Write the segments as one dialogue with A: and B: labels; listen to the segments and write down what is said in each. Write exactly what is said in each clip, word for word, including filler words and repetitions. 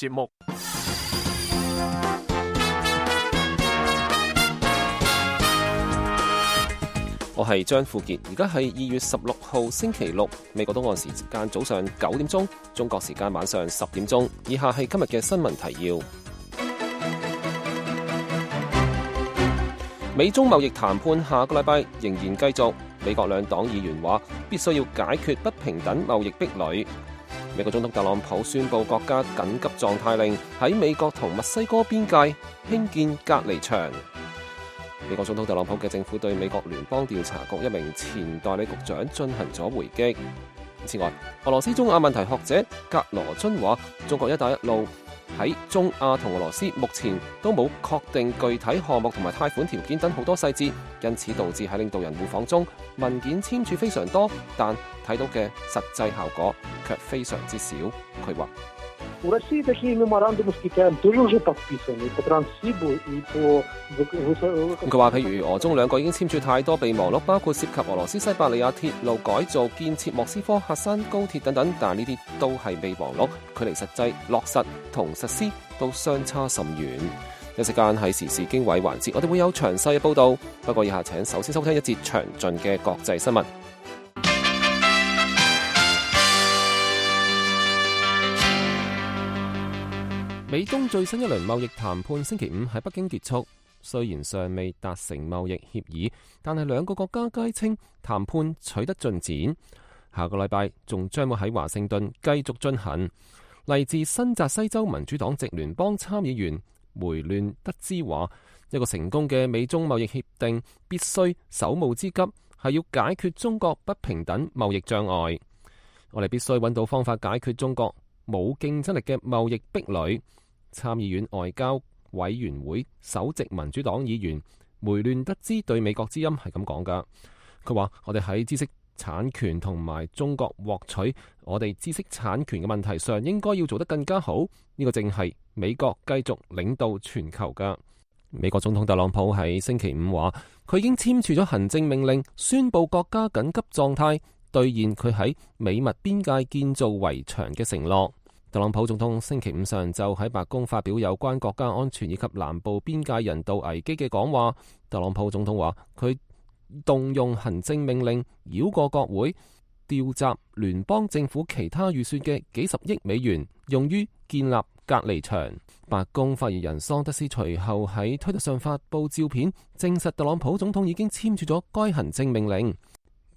A: 節目。
B: 我係張富傑，而家係二月十六號星期六，美國東岸時間早上九點鐘，中國時間晚上十點鐘。以下係今日嘅新聞提要。美中貿易談判下個禮拜仍然繼續，美國兩黨議員話必須要解決不平等貿易壁壘。美國總統特朗普宣布國家緊急狀態令，喺美國同墨西哥邊界興建隔離牆。美國總統特朗普嘅政府對美國聯邦調查局一名前代理局長進行咗回擊。此外，俄羅斯中亞問題學者格羅津話，中國一帶一路喺中亞同俄羅斯目前都冇確定具體項目同埋貸款條件等好多細節，因此導致喺領導人互訪中文件簽署非常多，但睇到嘅實際效果卻非常之少。佢話佢話譬如俄中兩個已經簽署太多備忘錄，包括涉及俄羅斯西伯利亞鐵路改造、建設莫斯科喀山高鐵等等，但呢啲都係備忘錄，距離實際落實同實施都相差甚遠。一時間喺時事經緯環節，我哋會有詳細嘅報道，不過以下請首先收聽一節詳盡嘅國際新聞。美中最新一輪貿易談判星期五喺北京結束，雖然尚未達成貿易協議，但係兩個國家皆稱談判取得進展。下個禮拜仲將會喺華盛頓繼續進行。嚟自新澤西州民主黨籍聯邦參議員梅亂德茲話，一個成功嘅美中貿易協定必須首務之急係要解決中國不平等貿易障礙。我哋必須揾到方法解決中國冇競爭力嘅貿易壁壘。參議院外交委員會首席民主黨議員梅亂德茲對美國之音係咁講噶，佢話我哋喺知識產權同埋中國獲取我哋知識產權嘅問題上應該要做得更加好，呢個正係美國繼續領導全球噶。美國總統特朗普喺星期五話，佢已經簽署咗行政命令，宣布國家緊急狀態，兌現佢喺美墨邊界建造圍牆嘅承諾。特朗普總統星期五上晝喺白宮發表有關國家安全以及南部邊界人道危機嘅講話。特朗普總統話，佢動用行政命令繞過國會，調集聯邦政府其他預算嘅幾十億美元，用於建立隔離牆。白宮發言人桑德斯隨後喺推特上發布照片，證實特朗普總統已經簽署咗該行政命令。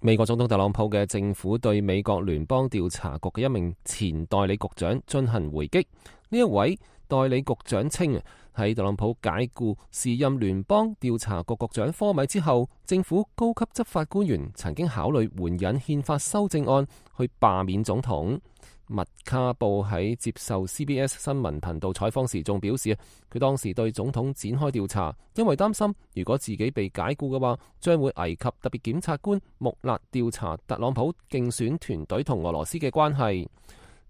B: 美國總統特朗普嘅政府對美國聯邦調查局嘅一名前代理局長進行回擊。呢一位代理局長稱，喺特朗普解雇時任聯邦調查局局長科米之後，政府高級執法官員曾經考慮援引憲法修正案去罷免總統。麥卡布喺接受 C B S 新聞頻道採訪時仲表示，佢當時對總統展開調查，因為擔心如果自己被解雇嘅話，將會危及特別檢察官穆勒調查特朗普競選團隊同俄羅斯嘅關係。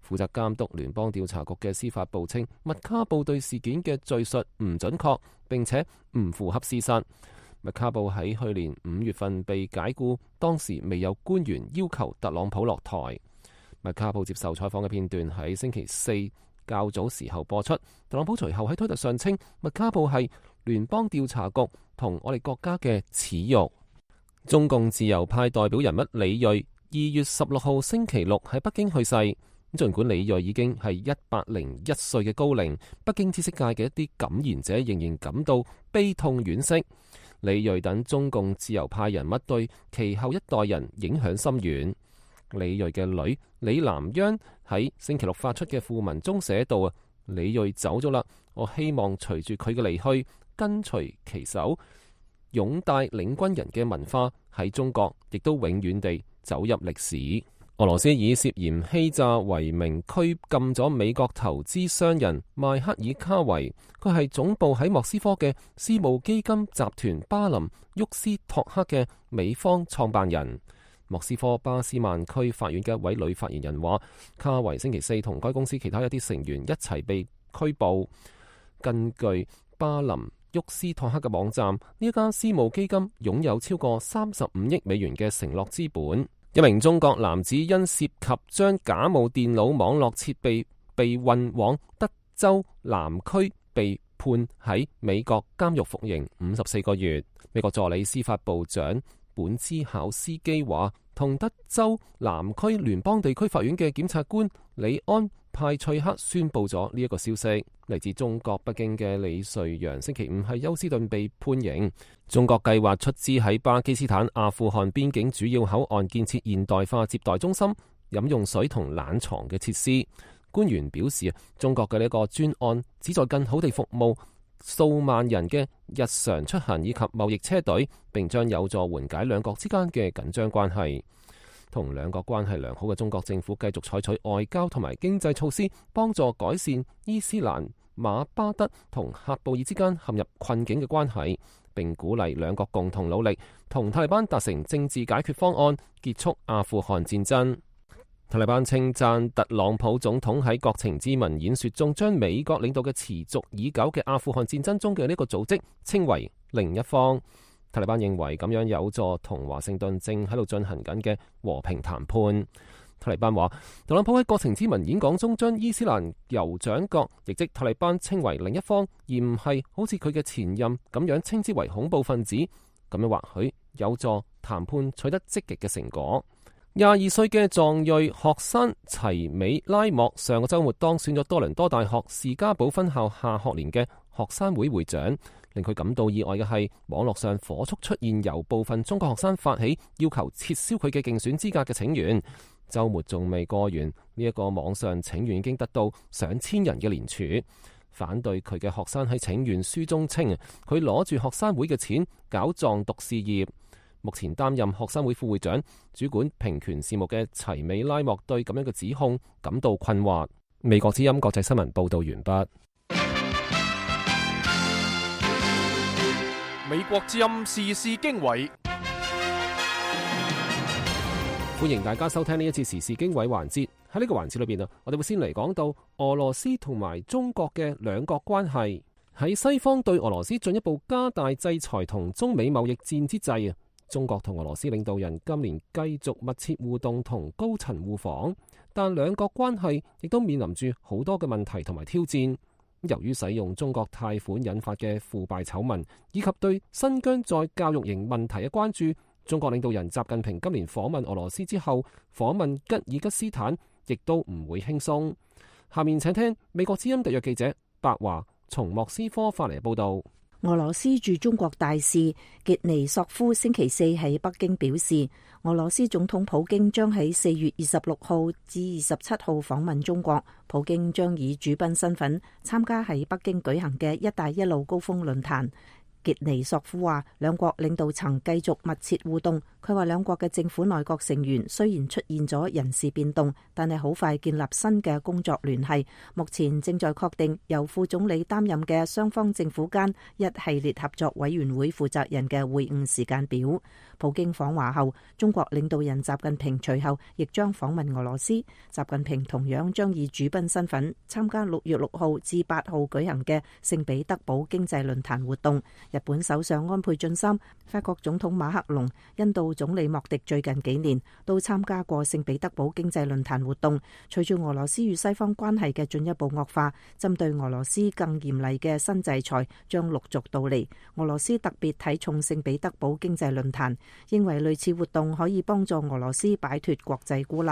B: 負責監督聯邦調查局嘅司法部稱，麥卡布對事件嘅敘述唔準確，並且唔符合事實。麥卡布喺去年五月份被解雇，當時未有官員要求特朗普落台。麥卡布接受採訪嘅片段喺星期四較早時候播出。特朗普隨後喺推特上稱，麥卡布係聯邦調查局同我哋國家嘅恥辱。中共自由派代表人物李銳二月十六號星期六喺北京去世。儘管李銳已經係一百零一歲嘅高齡，北京知識界嘅一啲感言者仍然感到悲痛惋惜。李銳等中共自由派人物對其後一代人影響深遠。李銳嘅女李南央喺星期六發出嘅訃文中寫道啊，李銳走咗啦，我希望隨住佢嘅離去，跟隨其手，擁戴領軍人嘅文化喺中國亦都永遠地走入歷史。俄羅斯以涉嫌欺詐為名拘禁咗美國投資商人邁克爾卡維，佢係總部喺莫斯科嘅私募基金集團巴林沃斯托克嘅美方創辦人。莫斯科巴斯曼區法院嘅一位女發言人話，卡維星期四同該公司其他一啲成員一齊被拘捕。根據巴林沃斯托克嘅網站，呢一家私募基金擁有超過三十五億美元嘅承諾資本。一名中國男子因涉及將假冒電腦網絡設備被運往德州南區被判喺美國監獄服刑五十四個月。美國助理司法部長本茲考斯基話，同德州南區聯邦地區法院嘅檢察官里安派翠克宣布咗呢一個消息。嚟自中國北京嘅李瑞陽星期五喺休斯頓被判刑。中國計劃出資喺巴基斯坦、阿富汗邊境主要口岸建設現代化接待中心、飲用水同冷藏嘅設施。官員表示，中國嘅呢個專案旨在更好地服務數萬人嘅日常出行以及貿易車隊，並將有助緩解兩國之間嘅緊張關係。同兩國關係良好嘅中國政府繼續採取外交同埋經濟措施，幫助改善伊斯蘭馬巴德同喀布爾之間陷入困境嘅關係，並鼓勵兩國共同努力，同塔利班達成政治解決方案，結束阿富汗戰爭。塔利班稱讚特朗普總統喺國情咨文演說中，將美國領導嘅持續已久嘅阿富汗戰爭中嘅呢個組織稱為另一方。塔利班認為咁樣有助同華盛頓正喺度進行緊嘅和平談判。塔利班話，特朗普喺國情咨文演講中將伊斯蘭酋長國，亦即塔利班稱為另一方，而唔係好似佢嘅前任咁樣稱之為恐怖分子。咁樣或許有助談判取得積極嘅成果。廿二歲嘅藏裔學生齊美拉莫上個週末當選咗多倫多大學士嘉堡分校下學年嘅學生會會長。令佢感到意外嘅係，網絡上火速出現由部分中國學生發起要求撤銷佢嘅競選資格嘅請願。週末仲未過完，呢、這、一個網上請願已經得到上千人嘅聯署。反對佢嘅學生喺請願書中稱，佢攞住學生會嘅錢搞藏獨事業。目前擔任學生會副會長、主管平權事務嘅齊美拉莫對咁樣嘅指控感到困惑。美國之音國際新聞報道完畢。
A: 美國之音時事經緯，
B: 歡迎大家收聽呢一次時事經緯環節。喺呢個環節裏邊啊，我哋會先嚟講到俄羅斯同埋中國嘅兩國關係。喺西方對俄羅斯進一步加大制裁同中美貿易戰之際啊，中國同俄羅斯領導人今年繼續密切互動同高層互訪，但兩國關係亦都面臨住好多嘅問題同埋挑戰。由於使用中國貸款引發嘅腐敗醜聞，以及對新疆在教育營問題嘅關注，中國領導人習近平今年訪問俄羅斯之後，訪問吉爾吉斯坦亦都唔會輕鬆。下面請聽美國之音特約記者白華從莫斯科發嚟報道。
C: 俄羅斯駐中國大使傑尼索夫星期四喺北京表示，俄羅斯總統普京將喺四月二十六號至二十七號訪問中國。普京將以主賓身份參加喺北京舉行嘅一帶一路高峰論壇。傑尼索夫話，兩國領導層繼續密切互動。佢話兩國嘅政府內閣成員雖然出現咗人事變動，但係好快建立新嘅工作聯繫。目前正在確定由副總理擔任嘅雙方政府間一系列合作委員會負責人嘅會晤時間表。普京訪華後，中國領導人習近平隨後亦將訪問俄羅斯。習近平同樣將以主賓身份參加六月六號至八號舉行嘅聖彼得堡經濟論壇活動。日本首相安倍晉三、法國總統馬克龍、印度總理莫迪最近幾年都參加過聖彼得堡經濟論壇活動。隨住俄羅斯與西方關係嘅進一步惡化，針對俄羅斯更嚴厲嘅新制裁將陸續到嚟。俄羅斯特別睇重聖彼得堡經濟論壇，認為類似活動可以幫助俄羅斯擺脫國際孤立。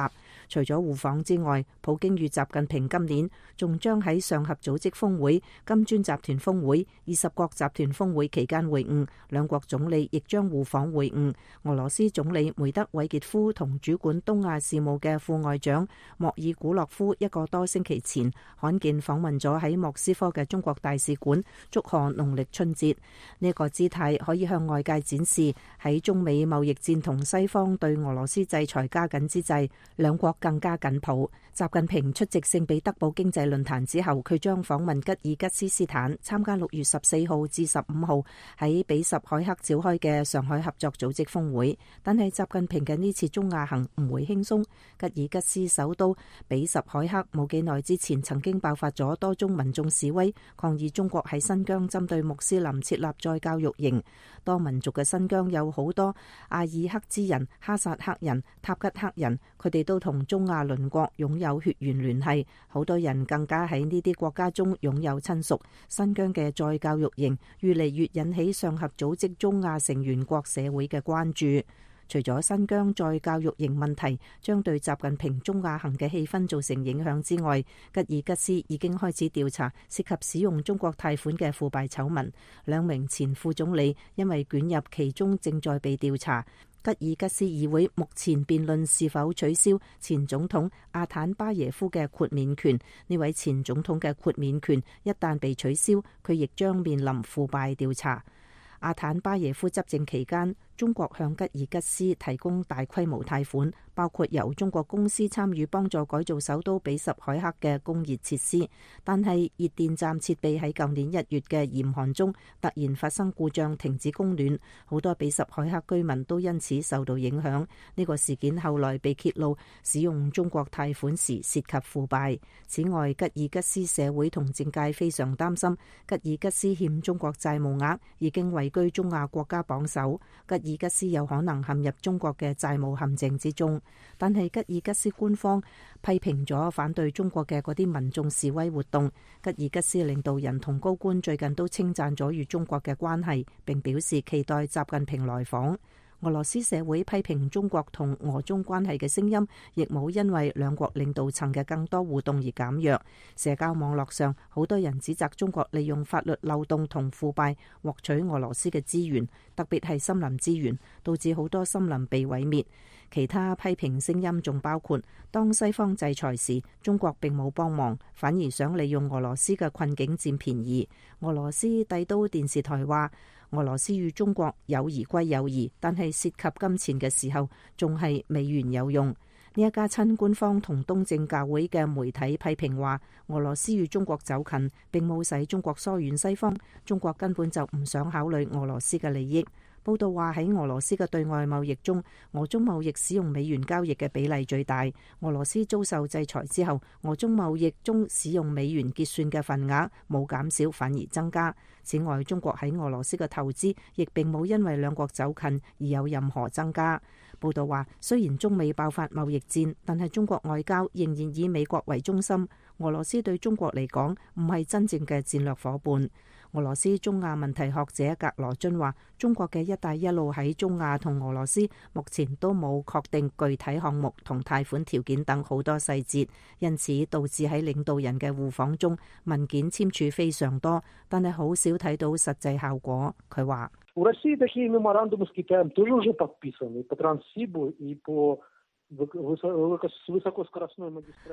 C: 除咗互訪之外，普京與習近平今年仲將喺上合組織峰會、金磚集團峰會、二十國集團峰會期間會晤，兩國總理亦將互訪會晤。俄羅斯總理梅德韋傑夫同主管東亞事務嘅副外長莫爾古洛夫一個多星期前罕見訪問咗喺莫斯科嘅中國大使館，祝賀農曆春節。呢、這個姿態可以向外界展示喺中美貿易戰同西方對俄羅斯制裁加緊之際，兩國更加緊抱。習近平出席聖彼得堡經濟論壇之後，佢將訪問吉爾吉斯斯坦，參加六月十四號至十五號喺比什凱克召開嘅上海合作組織峰會。但係習近平嘅呢次中亞行唔會輕鬆。吉爾吉斯首都比什凱克冇幾耐之前曾經爆發咗多宗民眾示威，抗議中國喺新疆針對穆斯林設立再教育營。多民族嘅新疆有好多阿爾克孜人、哈薩克人、塔吉克人，佢哋都同中亞鄰國擁有血緣聯繫，好多人更加喺呢啲國家中擁有親屬。新疆嘅再教育營越嚟越引起上合組織中亞成員國社會嘅關注。除咗新疆再教育營問題將對習近平中亞行嘅氣氛造成影響之外，吉爾吉斯已經開始調查涉及使用中國貸款嘅腐敗醜聞，兩名前副總理因為捲入其中正在被調查。吉爾吉斯議會目前辯論是否取消前總統阿坦巴耶夫嘅豁免權。呢位前總統嘅豁免權一旦被取消，佢亦將面臨腐敗調查。阿坦巴耶夫執政期間，中國向吉爾吉斯提供大規模貸款，包括由中國公司參與幫助改造首都比什凱克嘅供熱設施。但係熱電站設備喺舊年一月嘅嚴寒中突然發生故障，停止供暖，好多比什凱克居民都因此受到影響。呢個事件後來被揭露，使用中國貸款時涉及腐敗。此外，吉爾吉斯社會同政界非常擔心，吉爾吉斯欠中國債務額已經位居中亞國家榜首，吉爾吉斯有可能陷入中國嘅債務陷阱之中。但係吉爾吉斯官方批評咗反對中國嘅嗰啲民眾示威活動。吉爾吉斯領導人同高官最近都稱讚咗與中國嘅關係，並表示期待習近平來訪。俄羅斯社會批評中國同俄中關係嘅聲音，亦冇因為兩國領導層嘅更多互動而減弱。社交網絡上，好多人指責中國利用法律漏洞同腐敗獲取俄羅斯嘅資源，特別係森林資源，導致好多森林被毀滅。其他批評聲音仲包括，當西方制裁時，中國並冇幫忙，反而想利用俄羅斯嘅困境佔便宜。俄羅斯帝都電視台話，俄羅斯與中國友誼歸友誼，但係涉及金錢嘅時候，仲係美元有用。呢一家親官方同東正教會嘅媒體批評話，俄羅斯與中國走近，並冇使中國疏遠西方，中國根本就唔想考慮俄羅斯嘅利益。報道話喺俄羅斯嘅對外貿易中，俄中貿易使用美元交易嘅比例最大。俄羅斯遭受制裁之後，俄中貿易中使用美元結算嘅份額冇減少，反而增加。此外，中國喺俄羅斯嘅投資亦並冇因為兩國走近而有任何增加。報道話，雖然中美爆發貿易戰，但係中國外交仍然以美國為中心。俄羅斯對中國嚟講唔係真正嘅戰略夥伴。俄羅斯中亞問題學者格羅津話，中國嘅一帶一路喺中亞同俄羅斯目前都冇確定具體項目同貸款條件等好多細節，因此導致喺領導人嘅互訪中文件簽署非常多，但係好少睇到實際效果。佢話，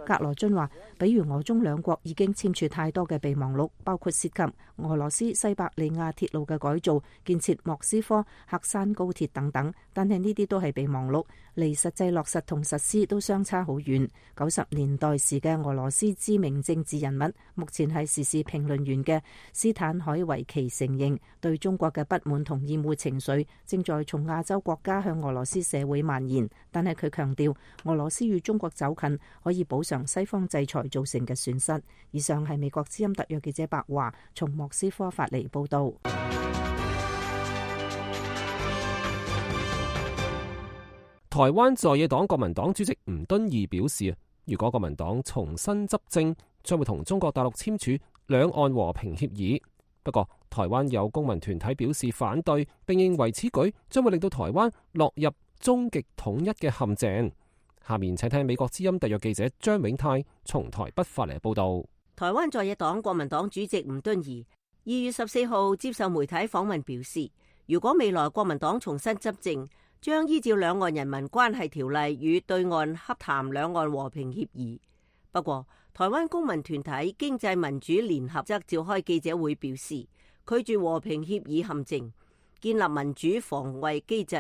C: 格羅津話，比如俄中兩國已經簽署太多嘅備忘錄，包括涉及俄羅斯西伯利亞鐵路嘅改造、建設莫斯科喀山高鐵等等，但係呢啲都係備忘錄，離實際落實同實施都相差好遠。九十年代時嘅俄羅斯知名政治人物，目前係時事評論員嘅斯坦海維奇承認，對中國嘅不滿同厭惡情緒正在從亞洲國家向俄羅斯社會蔓延，但係佢強調，俄羅斯與中國走近可以補償西方制裁造成嘅損失。以上係美國之音特約記者白華從莫斯科發嚟報道。
B: 台灣在野黨國民黨主席吳敦義表示，如果國民黨重新執政，將會同中國大陸簽署兩岸和平協議。不過，台灣有公民團體表示反對，並認為此舉將會令到台灣落入終極統一嘅陷阱。下面請聽美國之音特約記者張永泰從台北發嚟報道。
D: 台灣在野黨國民黨主席吳敦義二月十四號接受媒體訪問表示，如果未來國民黨重新執政，將依照兩岸人民關係條例與對岸洽談兩岸和平協議。不過，台灣公民團體經濟民主聯合則召開記者會表示，拒絕和平協議陷阱，建立民主防衛機制。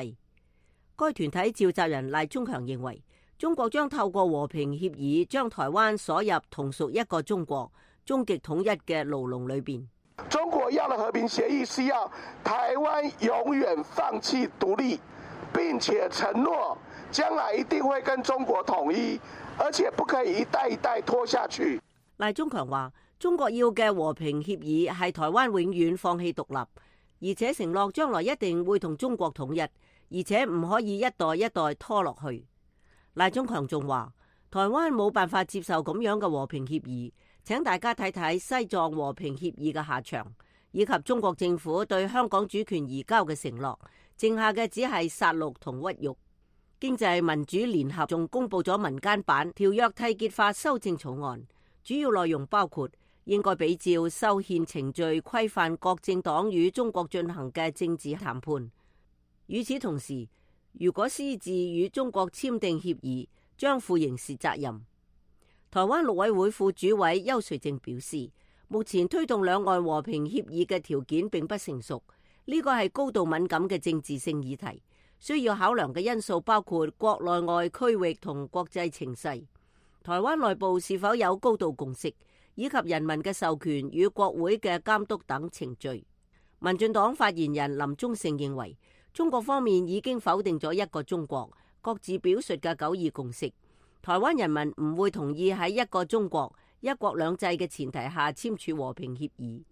D: 該團體召集人賴中強認為，中國將透過和平協議將台灣鎖入同屬一個中國、終極統一嘅牢籠裏邊。
E: 中國要的和平協議是要台灣永遠放棄獨立，不並且承諾將來一定會跟中國統一，而且不可以一代一代拖下去。
D: 賴中強話：中國要嘅和平協議係台灣永遠放棄獨立，而且承諾將來一定會同中國統一，而且唔可以一代一代拖落去。賴中強仲話：台灣冇辦法接受咁樣嘅和平協議，請大家睇睇西藏和平協議嘅下場，以及中國政府對香港主權移交嘅承諾，剩下嘅只係殺戮同屈辱。經濟民主聯合仲公布咗民間版條約締結法修正草案，主要內容包括應該比照修憲程序規範各政黨與中國進行嘅政治談判。與此同時，如果私自與中國簽訂協議，將負刑事責任。台灣陸委會副主委邱瑞正表示，目前推動兩岸和平協議嘅條件並不成熟，呢個係高度敏感嘅政治性議題，需要考量嘅因素包括國內外區域同國際情勢，台灣內部是否有高度共識，以及人民嘅授權與國會嘅監督等程序。民進黨發言人林忠勝認為，中國方面已經否定咗一個中國，各自表述嘅九二共識，台灣人民唔會同意喺一個中國、一國兩制嘅前提下簽署和平協議。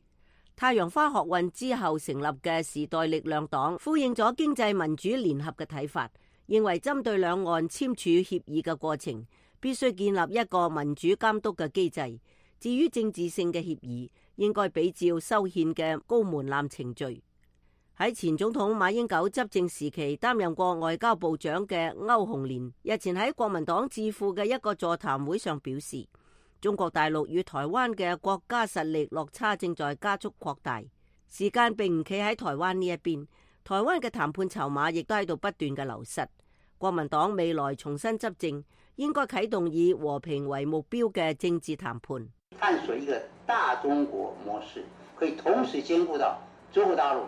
D: 太陽花學運之後成立嘅時代力量黨呼應咗經濟民主聯合嘅睇法，認為針對兩岸簽署協議嘅過程，必須建立一個民主監督嘅機制。至於政治性嘅協議，應該比照修憲嘅高門檻程序。喺前總統馬英九執政時期擔任過外交部長嘅歐鴻連日前喺國民黨智庫嘅一個座談會上表示，中國大陸與台灣嘅國家實力落差正在加速擴大，時間並唔企喺台灣呢一邊，台灣嘅談判籌碼亦都喺度不斷嘅流失。國民黨未來重新執政，應該啟動以和平為目標嘅政治談判，
F: 探索一個大中國模式，可以同時兼顧到中國大陸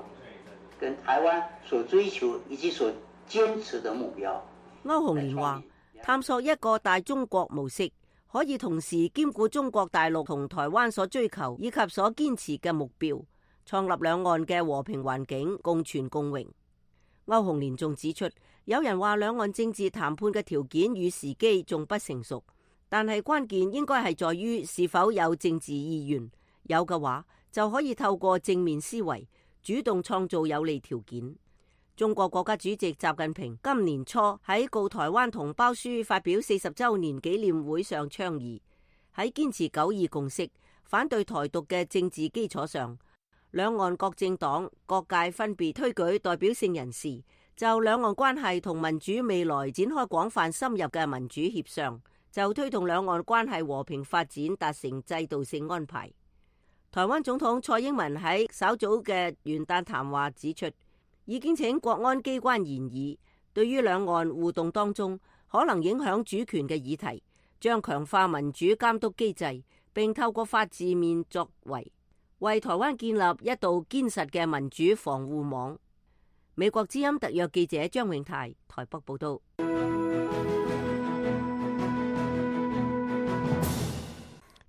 F: 跟台灣所追求以及所堅持的目標。
D: 歐鴻連話，探索一個大中國模式，可以同時兼顧中國大陸同台灣所追求以及所堅持嘅目標，創立兩岸嘅和平環境，共存共榮。歐鴻連仲指出，有人話兩岸政治談判嘅條件與時機仲不成熟，但係關鍵應該係在於是否有政治意願，有嘅話就可以透過正面思維主動創造有利條件。中國國家主席習近平今年初喺告台灣同胞書發表四十周年紀念會上倡議，喺堅持九二共識、反對台獨嘅政治基礎上，兩岸各政黨各界分別推舉代表性人士，就兩岸關係同民主未來展開廣泛深入嘅民主協商，就推動兩岸關係和平發展達成制度性安排。台灣總統蔡英文喺稍早嘅元旦談話指出，已經請國安機關研議，對於兩岸互動當中可能影響主權嘅議題，將強化民主監督機制，並透過法治面作為，為台灣建立一道堅實嘅民主防護網。美國之音特約記者張永泰台北報道。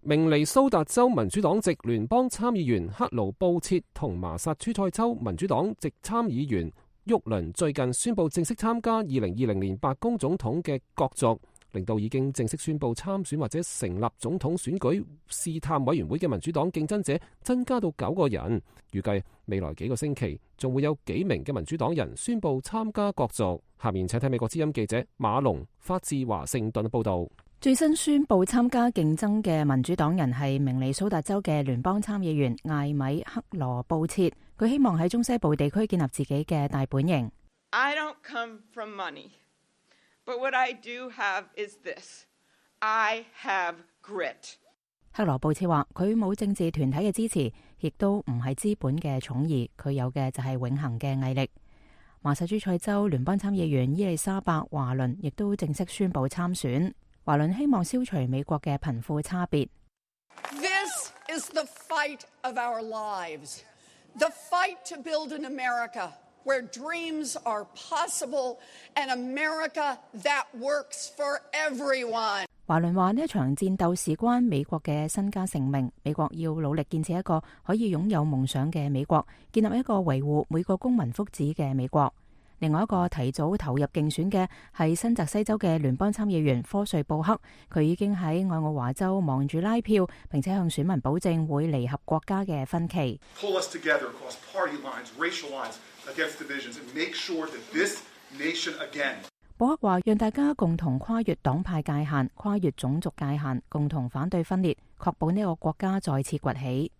B: 明尼蘇達州民主黨籍聯邦參議員克勞布切同麻薩諸塞州民主黨籍參議員沃倫最近宣布正式參加二零二零年白宮總統嘅角逐，令到已經正式宣布參選或者成立總統選舉試探委員會嘅民主黨競爭者增加到九個人。預計未來幾個星期仲會有幾名嘅民主黨人宣布參加角逐。下面請睇美國之音記者馬龍發自華盛頓報道。
G: 最新宣布參加競爭嘅民主黨人係明尼蘇達州嘅聯邦參議員艾米克羅布切，佢希望喺中西部地區建立自己嘅大本營。
H: I don't come from money, but what I do have is this. I have grit.
G: 克羅布切話佢冇政治團體嘅支持，亦都唔係資本嘅寵兒，佢有嘅就係永恆嘅毅力。麻薩諸塞州聯邦參議員伊麗莎白華倫亦都正式宣布參選。華倫希望消除美國嘅貧富差別。
I: This is the fight of our lives, the fight to build an America where dreams are possible, an America that works for everyone.
G: 華倫話呢一場戰鬥事關美國嘅身家性命，美國要努力建設一個可以擁有夢想嘅美國，建立一個維護每個公民福祉嘅美國。另外一個提早投入競選嘅係新澤西州嘅聯邦參議員科瑞布克，佢已經喺愛奧華州忙住拉票，並且向選民保證會彌合國家嘅分歧。
J: Pull us together across party lines, racial lines, against divisions, and make sure that this nation again.
G: 布克話：讓大家共同跨越黨派界限、跨越種族界限，共同反對分裂，確保呢個國家再次崛起。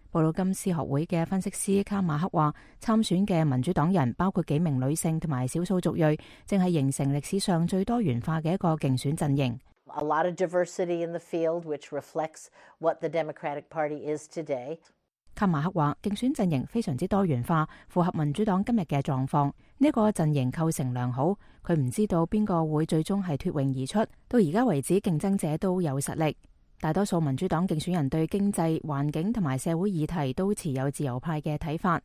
G: 布魯金斯學會嘅分析師卡馬克話：參選嘅民主黨人包括幾名女性同埋少數族裔，正係形成歷史上最多元化嘅一個競選陣營。
K: A lot of diversity in the field, which reflects what the Democratic Party is today.
G: 卡馬克話：競選陣營非常之多元化，符合民主黨今日嘅狀況。呢個陣營構成良好。佢唔知道邊個會最終係脫穎而出。到而家為止，競爭者都有實力。大多數民主黨競選人對經濟、環境同埋社會議題都持有自由派嘅睇法。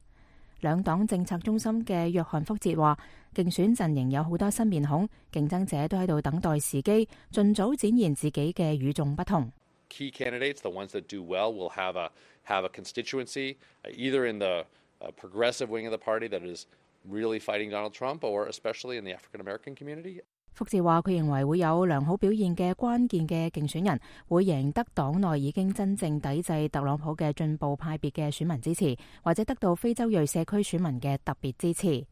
G: 兩黨政策中心嘅約翰福捷話：競選陣營有好多新面孔，競爭者都喺度等待時機，盡早展現自己嘅與眾不同。
L: Key candidates, the ones that do well, will have a have a constituency either in the progressive wing of the party that is really fighting Donald Trump, or especially in the African American community.
G: 福捷話：佢認為會有良好表現嘅關鍵嘅競選人會贏得黨內已經真正抵制特朗普嘅進步派別嘅選民支持，或者得到非洲裔社區選民嘅特別支持。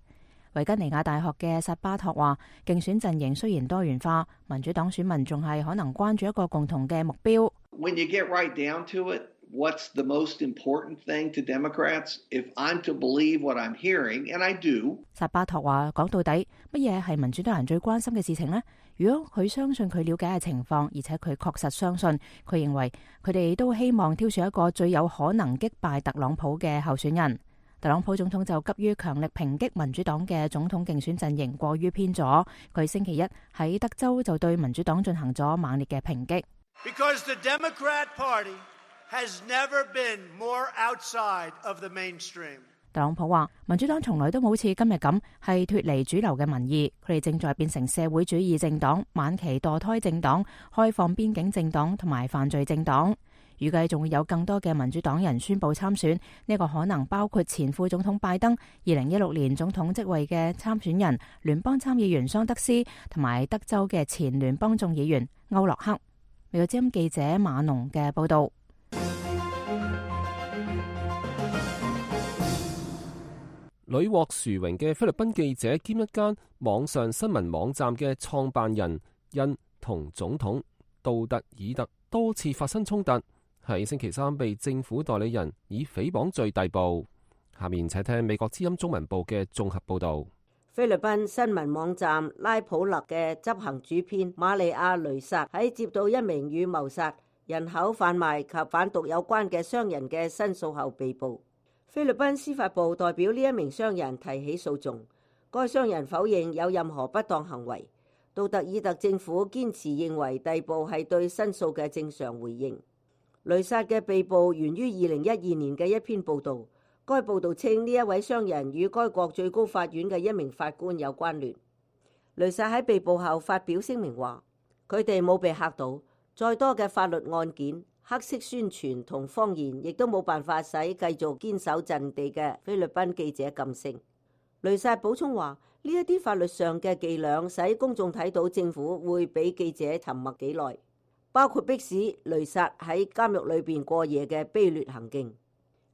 G: 維吉尼亞大學嘅薩巴托話：競選陣營雖然多元化，民主黨選民仲係可能關注一個共同嘅目標。
M: When you get right down to it, what's the most important thing to Democrats? If I'm to believe what I'm hearing, and I do.
G: 薩巴托話：講到底，乜嘢係民主黨人最關心嘅事情呢？如果佢相信佢了解嘅情況，而且佢確實相信，佢認為佢哋都希望挑選一個最有可能擊敗特朗普嘅候選人。特朗普總統就急於強力抨擊民主黨嘅總統競選陣營過於偏左。佢星期一喺德州就對民主黨進行咗猛烈嘅抨擊。
N: Because the Democrat Party has never been more outside of the mainstream.
G: 特朗普話：民主黨從來都冇似今日咁係脫離主流嘅民意，佢哋正在變成社會主義政黨、晚期墮胎政黨、開放邊境政黨同埋犯罪政黨。預計仲會有更多嘅民主黨人宣佈參選，呢個可能包括前副總統拜登、二零一六年總統職位嘅參選人聯邦參議員桑德斯，同埋德州嘅前聯邦眾議員歐洛克。美國之音記者馬農嘅報道。
B: 屢獲殊榮嘅菲律賓記者兼一間網上新聞網站嘅創辦人，因同總統杜特爾特多次發生衝突，喺星期三被政府代理人以誹謗罪逮捕。下面請聽美國之音中文部嘅綜合報導。
D: 菲律賓新聞網站拉普勒嘅執行主編瑪利亞雷薩喺接到一名與謀殺、人口販賣及販毒有關嘅商人嘅申訴後被捕。菲律賓司法部代表呢一名商人提起訴訟，該商人否認有任何不當行為。杜特爾特政府堅持認為逮捕係對申訴嘅正常回應。雷薩嘅被捕源於二零一二年嘅一篇報導，該報導稱呢一位商人與該國最高法院嘅一名法官有關聯。雷薩喺被捕後發表聲明話：佢哋冇被嚇到，再多嘅法律案件、黑色宣傳同謊言，亦都冇辦法使繼續堅守陣地嘅菲律賓記者噤聲。雷薩補充話：呢一啲法律上嘅伎倆使公眾睇到政府會俾記者沉默幾耐，包括迫使雷薩喺監獄裏邊過夜嘅卑劣行徑。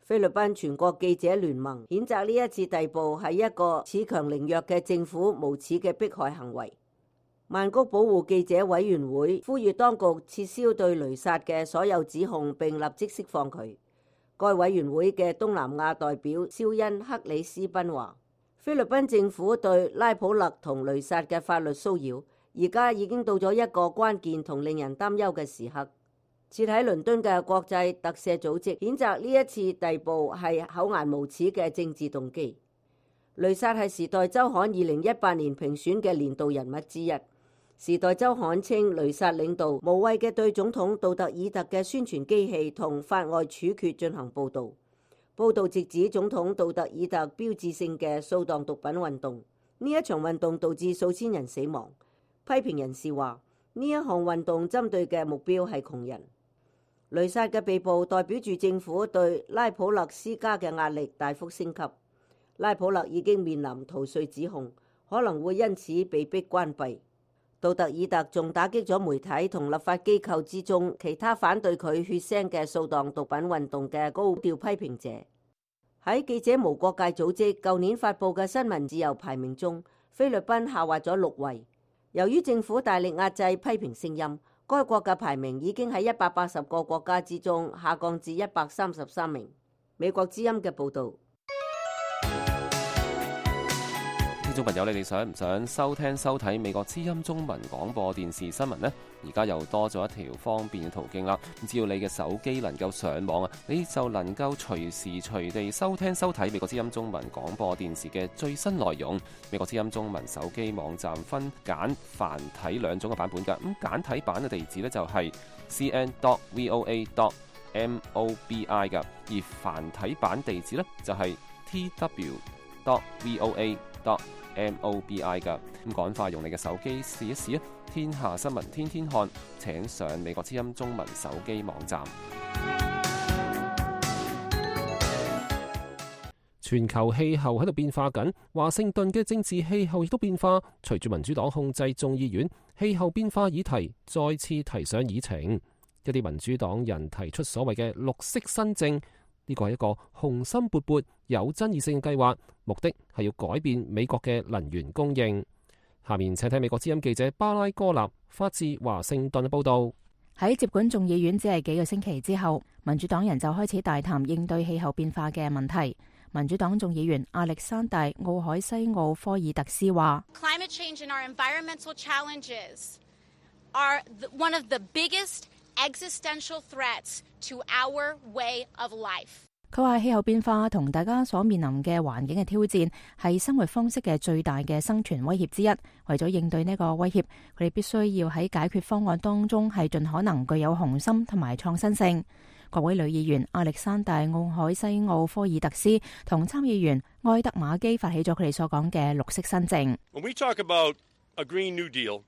D: 菲律賓全國記者聯盟譴責呢一次逮捕係一個恃強凌弱嘅政府無恥嘅迫害行為。曼谷保護記者委員會呼籲當局撤銷對雷薩嘅所有指控，並立即釋放佢。該委員會嘅東南亞代表肖恩克里斯賓話：菲律賓政府對拉普勒同雷薩嘅法律騷擾，而家已經到咗一個關鍵同令人擔憂嘅時刻。設喺倫敦嘅國際特赦組織譴責呢一次逮捕係厚顏無恥嘅政治動機。雷薩係時代週刊二零一八年評選嘅年度人物之一。時代週刊稱雷薩領導無謂嘅對總統杜特爾特嘅宣傳機器同法外處決進行報導。報導直指總統杜特爾特標誌性嘅掃蕩毒品運動，呢一場運動導致數千人死亡。批評人士話呢一項運動針對嘅目標係窮人。雷薩嘅被捕代表住政府對拉普勒施加嘅壓力大幅升級。拉普勒已經面臨逃稅指控，可能會因此被迫關閉。杜特爾特仲打擊咗媒體同立法機構之中其他反對佢血腥嘅掃蕩毒品運動嘅高調批評者。喺記者無國界組織舊年發佈嘅新聞自由排名中，菲律賓下滑咗六位。由於政府大力壓制批評聲音，該國嘅排名已經喺一百八十個國家之中下降至一百三十三名。美國之音嘅報導。
B: 聽眾朋友，你哋想唔想收聽收睇美國之音中文廣播電視新聞呢？而家又多咗一條方便嘅途徑啦。只要你嘅手機能夠上網啊，你就能夠隨時隨地收聽收睇美國之音中文廣播電視嘅最新內容。美國之音中文手機網站分簡繁體兩種嘅版本㗎。咁簡體版嘅地址呢，就係 c n dot v o a dot m o b i 㗎，而繁體版地址呢，就係 t w dot v o a dot m o b i 㗎。咁趕快用你嘅手機試一試啊！天下新聞天天看，請上美國之音中文手機網站。全球氣候喺度變化緊，華盛頓嘅政治氣候亦都變化。隨住民主黨控制眾議院，氣候變化議題再次提上議程。一啲民主黨人提出所謂嘅綠色新政，呢個係一個雄心勃勃、有爭議性嘅計劃，目的係要改變美國嘅能源供應。下面請睇美國之音記者巴拉哥納發自華盛頓嘅報道。
G: 喺接管眾議院只係幾個星期之後，民主黨人就開始大談應對氣候變化嘅問題。民主黨眾議員亞歷山大·奧海西奧科爾特斯話
O: Climate change and our environmental challenges are one of the biggest existential threats to our way of life。
G: 佢話氣候變化同大家所面臨嘅環境嘅挑戰係生活方式嘅最大嘅生存威脅之一。為咗應對呢個威脅，佢哋必須要喺解決方案當中係盡可能具有雄心同埋創新性。國會女議員亞歷山大·奧海西奧科爾特斯同參議員埃德馬基發起咗佢哋所講嘅綠色新政。
P: When we talk about a Green New Deal,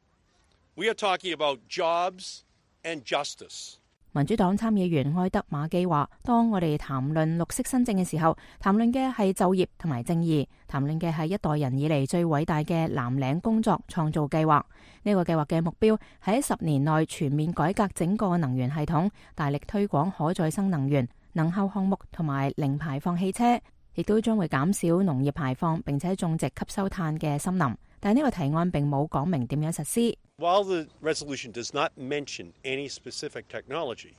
P: we are talking about jobs and justice。
G: 民主黨參議員埃德馬基話，當我哋談論綠色新政嘅時候，談論嘅係就業同埋正義，談論嘅係一代人以嚟最偉大嘅藍領工作創造計劃。呢個計劃嘅目標係喺十年內全面改革整個能源系統，大力推廣可再生能源、能效項目同埋零排放汽車，亦都將會減少農業排放，並且種植吸收碳嘅森林。但係呢個提案並冇講明點樣實施。
P: While the resolution does not mention any specific technology,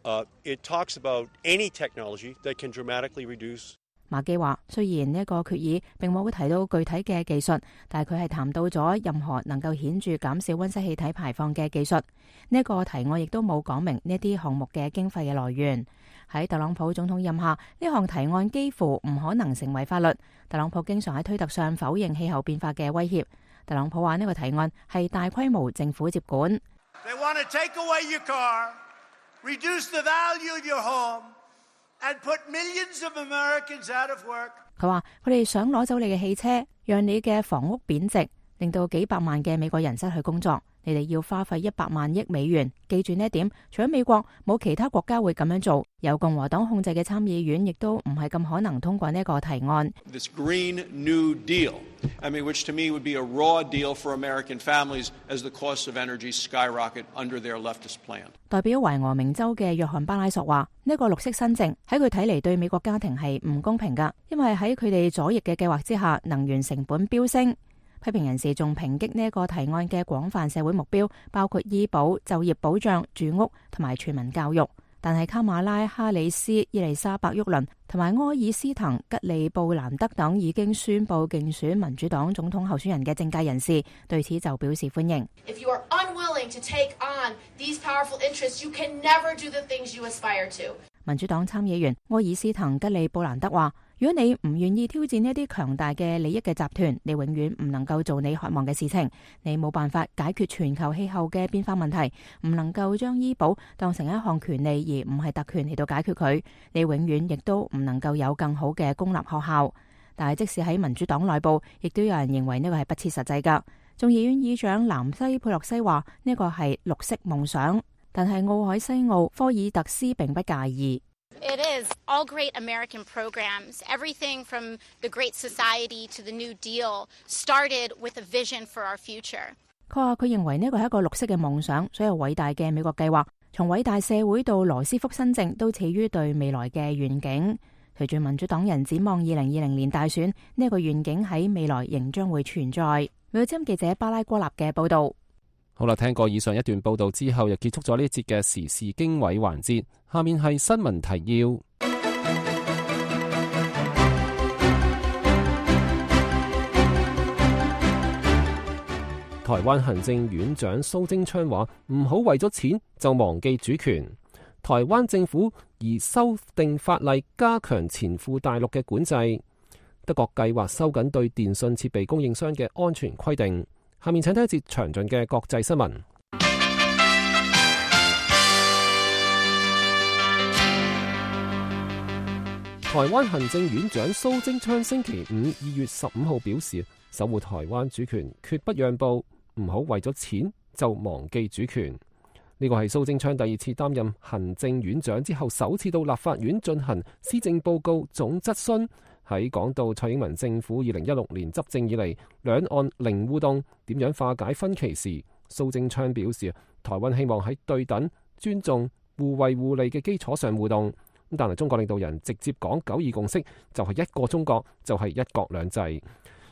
P: uh, it talks about any technology that can dramatically reduce。
G: 馬基話：雖然呢一個決議並冇提到具體嘅技術，但係佢係談到咗任何能夠顯著減少溫室氣體排放嘅技術。呢一個提案亦都冇講明呢啲項目嘅經費嘅來源。喺特朗普總統任下，呢項提案幾乎唔可能成為法律。特朗普經常喺推特上否認氣候變化嘅威脅。特朗普話呢個提案係大規模政府接管。
N: They want to take away your car, reduce the value of your home, and put millions of Americans out of work。
G: 佢話佢哋想攞走你嘅汽車，讓你嘅房屋貶值，令到幾百萬嘅美國人失去工作。你哋要花費一百萬億美元，記住呢一點。除咗美國，冇其他國家會咁樣做。由共和黨控制嘅參議院亦都唔係咁可能通過呢個提案。
P: This Green New Deal, I mean, which to me would be a raw deal for American families as the costs of energy skyrocket under their leftist plan。
G: 代表懷俄明州嘅約翰巴拉索話：呢個綠色新政喺佢睇嚟對美國家庭係唔公平㗎，因為喺佢哋左翼嘅計劃之下，能源成本飆升。批評人士仲抨擊呢一個提案嘅廣泛社會目標，包括醫保、就業保障、住屋同埋全民教育。但係卡馬拉、哈里斯、伊麗莎白·沃倫同埋柯爾斯滕、吉利布蘭德等已經宣布競選民主黨總統候選人嘅政界人士對此就表示歡迎。
O: If you are unwilling to take on these powerful interests, you can never do the things you aspire to。
G: 民主黨參議員柯爾斯滕吉利布蘭德話：如果你唔願意挑戰呢一啲強大嘅利益嘅集團，你永遠唔能夠做你渴望嘅事情。你冇辦法解決全球氣候嘅變化問題，唔能夠將醫保當成一項權利而唔係特權嚟到解決佢。你永遠亦都唔能夠有更好嘅公立學校。但係即使喺民主黨內部，亦都有人認為呢個係不切實際㗎。眾議院議長南西佩洛西話呢個係綠色夢想，但係奧海西奧科爾特斯並不介意。
O: It is. All great American programs, everything from the Great Society to the New Deal, started with a vision for our future.
G: 佢話佢認為呢個係一個綠色嘅夢想，所有偉大嘅美國計劃，從偉大社會到羅斯福新政，都始於對未來嘅願景。隨住民主黨人展望二零二零年大選，呢一個願景喺未來仍將會存在。美國之音記者巴拉戈納嘅報導。
B: 好啦，聽過以上一段報導之後，又結束咗呢一節嘅時事經緯環節。下面係新聞提要。台灣行政院長蘇貞昌話：唔好為咗錢就忘記主權。台灣政府擬修訂法例加強前赴大陸嘅管制。德國計劃收緊對電信設備供應商嘅安全規定。下面請睇一節詳盡嘅國際新聞。台灣行政院長蘇貞昌星期五二月十五號表示，守護台灣主權決不讓步，唔好為咗錢就忘記主權。呢個係蘇貞昌第二次擔任行政院長之後首次到立法院進行施政報告總質詢。喺講到蔡英文政府二零一六年執政以嚟兩岸零互動，點樣化解分歧時，蘇貞昌表示，台灣希望喺對等、尊重、互惠互利嘅基礎上互動。但係中國領導人直接講九二共識，就係一個中國，就係一國兩制。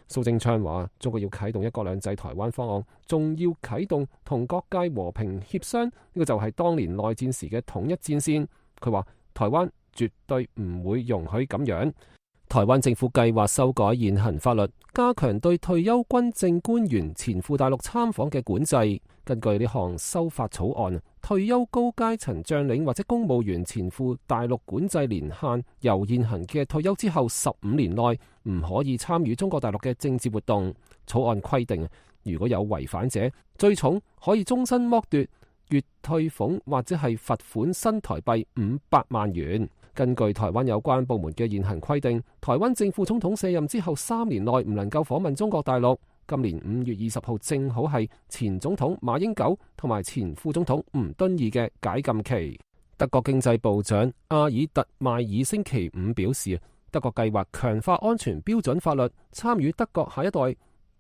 B: 蘇貞昌話：中國要啟動一國兩制台灣方案，仲要啟動同各界和平協商，呢個就係當年內戰時嘅統一戰線。佢話：台灣絕對唔會容許咁樣。台灣政府計劃修改現行法律，加強對退休軍政官員前赴大陸參訪嘅管制。根據呢項修法草案，退休高階層將領或者公務員前赴大陸管制年限由現行嘅退休之後十五年內唔可以參與中國大陸嘅政治活動。草案規定，如果有違反者，最重可以終身剝奪月退俸或者係罰款新台幣五百萬元。根據台灣有關部門嘅現行規定，台灣正副總統卸任之後三年內唔能夠訪問中國大陸。今年五月二十號正好係前總統馬英九同埋前副總統吳敦義嘅解禁期。德國經濟部長阿爾特邁爾星期五表示，德國計劃強化安全標準法律，參與德國下一代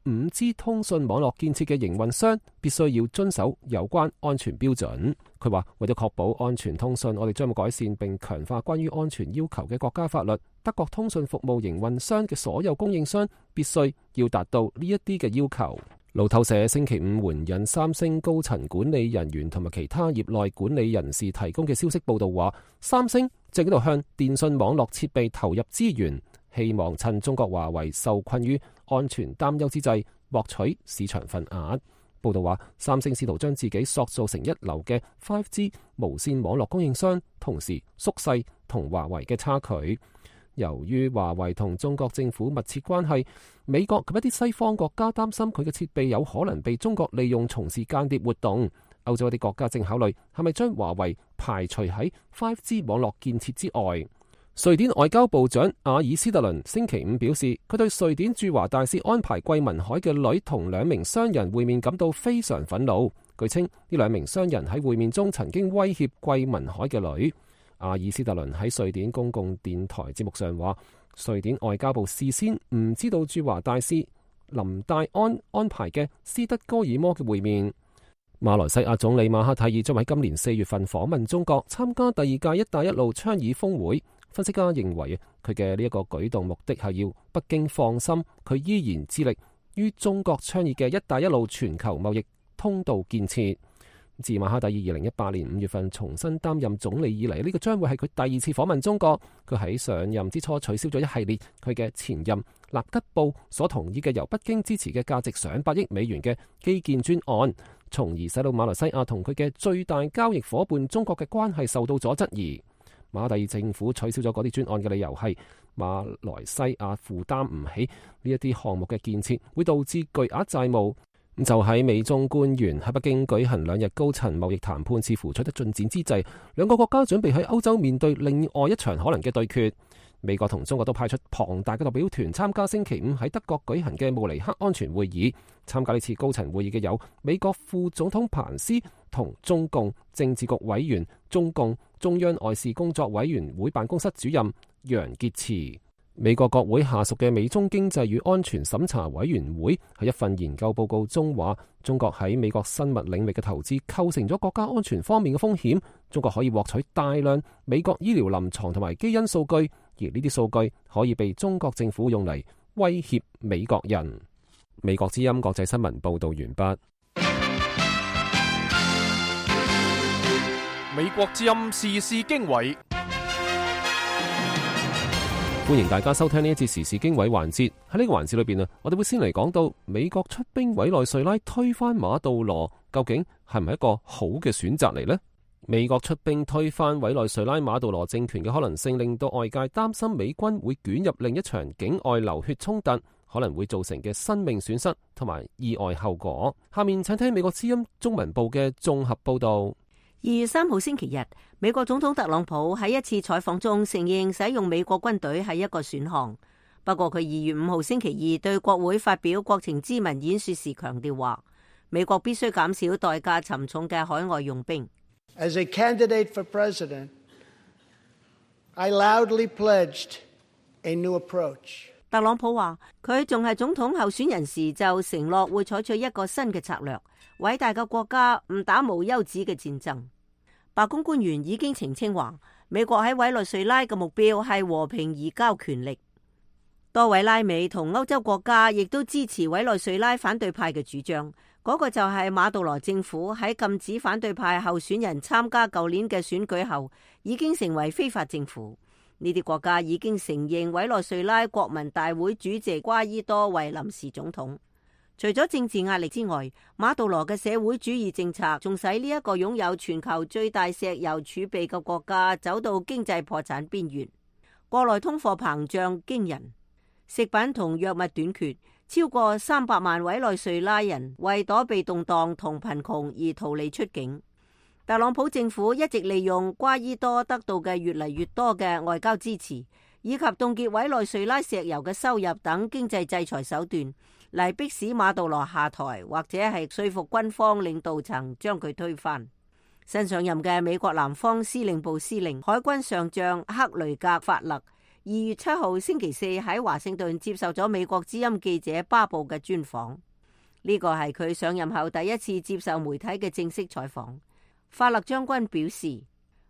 B: 五 G 通訊網絡建設嘅營運商必須要遵守有關安全標準。佢話，為咗確保安全通訊，我哋將會改善並強化關於安全要求嘅國家法律。德國通訊服務營運商嘅所有供應商必須要達到呢一啲嘅要求。路透社星期五援引三星高層管理人員同埋其他業內管理人士提供嘅消息報道話，三星正喺度向電信網絡設備投入資源，希望趁中國華為受困於安全擔憂之際獲取市場份額。報道話，三星試圖將自己塑造成一流嘅 五 G 無線網絡供應商，同時縮細同華為嘅差距。由於華為同中國政府密切關係，美國及一啲西方國家擔心佢嘅設備有可能被中國利用從事間諜活動。歐洲一啲國家正考慮係咪將華為排除喺 五 G 網絡建設之外。瑞典外交部長阿爾斯特倫星期五表示，佢對瑞典駐華大使安排桂民海嘅女同兩名商人會面感到非常憤怒。據稱，呢兩名商人喺會面中曾經威脅桂民海嘅女。阿爾斯特倫喺瑞典公共電台節目上話，瑞典外交部事先唔知道駐華大使林戴安安排嘅斯德哥爾摩嘅會面。馬來西亞總理馬哈蒂爾將喺今年四月份訪問中國，參加第二屆一帶一路倡議峰會。分析家認為，佢嘅呢一個舉動目的係要北京放心，佢依然致力於中國倡議嘅一帶一路全球貿易通道建設。自馬哈蒂爾二零一八年五月份重新擔任總理以嚟，呢個將會係佢第二次訪問中國。佢喺上任之初取消咗一系列佢嘅前任納吉布所同意嘅由北京支持嘅價值上百億美元嘅基建專案，從而使到馬來西亞同佢嘅最大交易夥伴中國嘅關係受到咗質疑。馬哈蒂爾政府取消咗嗰啲專案嘅理由係馬來西亞負擔唔起呢一啲項目嘅建設，會導致巨額債務。就喺美中官員喺北京舉行兩日高層貿易談判似乎取得進展之際，兩個國家準備喺歐洲面對另外一場可能嘅對決。美國同中國都派出龐大嘅代表團參加星期五喺德國舉行嘅慕尼黑安全會議。參加呢次高層會議嘅有美國副總統彭斯同中共政治局委員、中共中央外事工作委員會辦公室主任楊潔篪。美國國會下屬嘅美中經濟與安全審查委員會喺一份研究報告中話，中國喺美國生物領域嘅投資構成咗國家安全方面嘅風險。中國可以獲取大量美國醫療臨床同埋基因數據，而呢啲數據可以被中國政府用嚟威脅美國人。美國之音國際新聞報道完畢。
A: 美國之音時事經緯。
B: 歡迎大家收聽呢一節時事經緯環節。喺呢個環節裏邊啊，我哋會先嚟講到美國出兵委內瑞拉推翻馬杜羅，究竟係唔係一個好嘅選擇嚟呢？美國出兵推翻委內瑞拉馬杜羅政權嘅可能性，令到外界擔心美軍會捲入另一場境外流血衝突，可能會造成嘅生命損失同埋意外後果。下面請聽美國之音中文部嘅綜合報道。
D: 二月三號星期日，美國總統特朗普喺一次採訪中承認使用美國軍隊係一個選項。不過佢二月五號星期二對國會發表國情咨文演說時強調話，美國必須減少代價沉重嘅海外用兵。
Q: As a candidate for president, I loudly pledged a new approach.
D: 特朗普話佢仲係總統候選人時就承諾會採取一個新嘅策略，偉大嘅國家唔打無休止嘅戰爭。白宮官員已經澄清話，美國喺委內瑞拉嘅目標係和平移交權力。多位拉美同歐洲國家亦都支持委內瑞拉反對派嘅主張，嗰個就係馬杜羅政府喺禁止反對派候選人參加舊年嘅選舉後，已經成為非法政府。呢啲國家已經承認委內瑞拉國民大會主席瓜伊多為臨時總統。除咗政治壓力之外，馬杜羅嘅社會主義政策仲使呢一個擁有全球最大石油儲備嘅國家走到經濟破產邊緣。國內通貨膨脹驚人，食品同藥物短缺，超過三百萬委內瑞拉人為躲避動盪同貧窮而逃離出境。特朗普政府一直利用瓜伊多得到嘅越嚟越多嘅外交支持，以及凍結委內瑞拉石油嘅收入等經濟制裁手段，嚟迫使馬杜羅下台，或者係說服軍方領導層將佢推翻。新上任嘅美國南方司令部司令海軍上將克雷格法勒二月七號星期四喺華盛頓接受咗美國之音記者巴布嘅專訪，呢個係佢上任後第一次接受媒體嘅正式採訪。法勒將軍表示，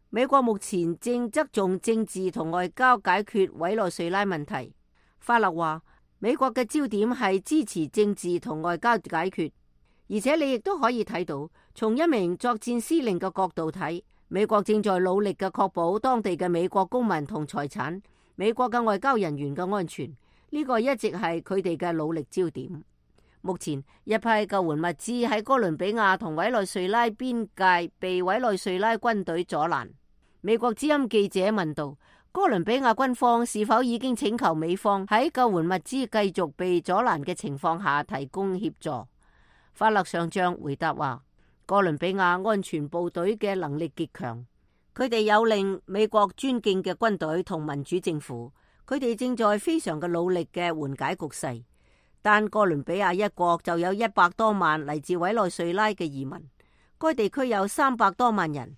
D: 美國目前正側重政治同外交解決委內瑞拉問題。法勒話，美國嘅焦點係支持政治同外交解決，而且你亦都可以睇到，從一名作戰司令嘅角度睇，美國正在努力嘅確保當地嘅美國公民同財產、美國嘅外交人員嘅安全，呢個一直係佢哋嘅努力焦點。目前一批救援物資喺哥倫比亞同委內瑞拉邊界被委內瑞拉軍隊阻攔。美國之音記者問道，哥倫比亞軍方是否已經請求美方喺救援物資繼續被阻攔嘅情況下提供協助？法勒上將回答話，哥倫比亞安全部隊嘅能力極強，佢哋有令美國尊敬嘅軍隊同民主政府，佢哋正在非常嘅努力嘅緩解局勢。但哥倫比亞一國就有一百多萬嚟自委內瑞拉嘅移民，該地區有三百多萬人。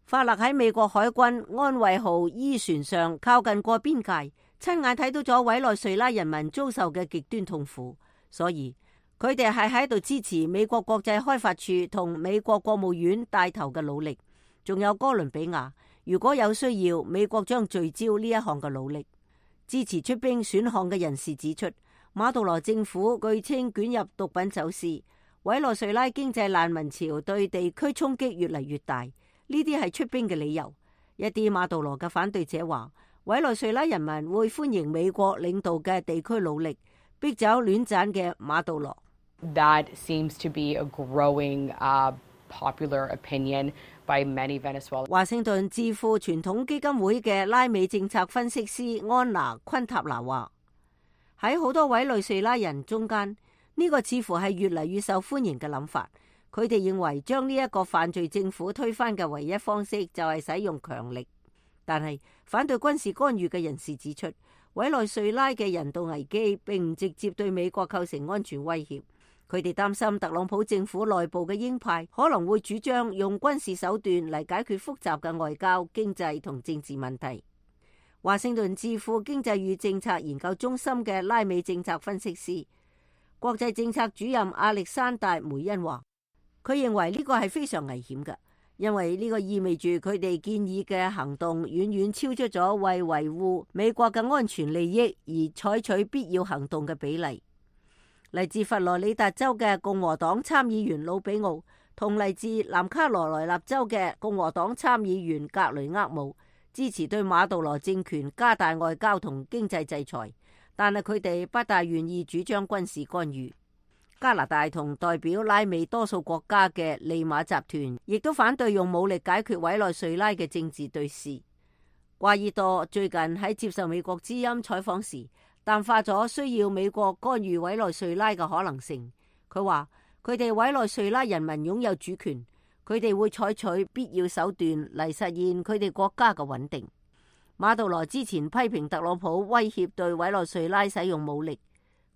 D: 法勒喺美國海軍安慰號 E 船上靠近過邊界，親眼睇到咗委內瑞拉人民遭受嘅極端痛苦，所以佢哋係喺度支持美國國際開發處同美國國務院帶頭嘅努力。仲有哥倫比亞，如果有需要，美國將聚焦呢一項嘅努力。支持出兵選項嘅人士指出，馬杜羅政府據稱捲入毒品走私，委內瑞拉經濟難民潮對地區衝擊越嚟越大，呢啲係出兵嘅理由。一啲馬杜羅嘅反對者話，委內瑞拉人民會歡迎美國領導嘅地區努力，逼走亂斬嘅馬杜羅。
R: That seems to be a growing, uh, popular opinion by many Venezuelans.
D: 華盛頓智庫傳統基金會嘅拉美政策分析師安娜昆塔拿話，喺好多委內瑞拉人中間，呢個似乎係越嚟越受歡迎嘅諗法。佢哋認為將呢一個犯罪政府推翻嘅唯一方式就係使用強力。但係反對軍事干預嘅人士指出，委內瑞拉嘅人道危機並唔直接對美國構成安全威脅。佢哋擔心特朗普政府內部嘅鷹派可能會主張用軍事手段嚟解決複雜嘅外交、經濟同政治問題。華盛頓智庫經濟與政策研究中心嘅拉美政策分析師、國際政策主任亞歷山大梅恩話，佢認為呢個係非常危險嘅，因為呢個意味住佢哋建議嘅行動遠遠超出咗為維護美國嘅安全利益而採取必要行動嘅比例。嚟自佛羅里達州嘅共和黨參議員魯比奧同嚟自南卡羅來納州嘅共和黨參議員格雷厄姆支持對馬杜羅政權加大外交同經濟制裁，但係佢哋不大願意主張軍事干預。加拿大同代表拉美多數國家嘅利馬集團亦都反對用武力解決委內瑞拉嘅政治對峙。瓜伊多最近喺接受美國之音採訪時淡化咗需要美國干預委內瑞拉嘅可能性。佢話佢哋委內瑞拉人民擁有主權，佢哋會採取必要手段嚟實現佢哋國家嘅穩定。馬杜羅之前批評特朗普威脅對委內瑞拉使用武力，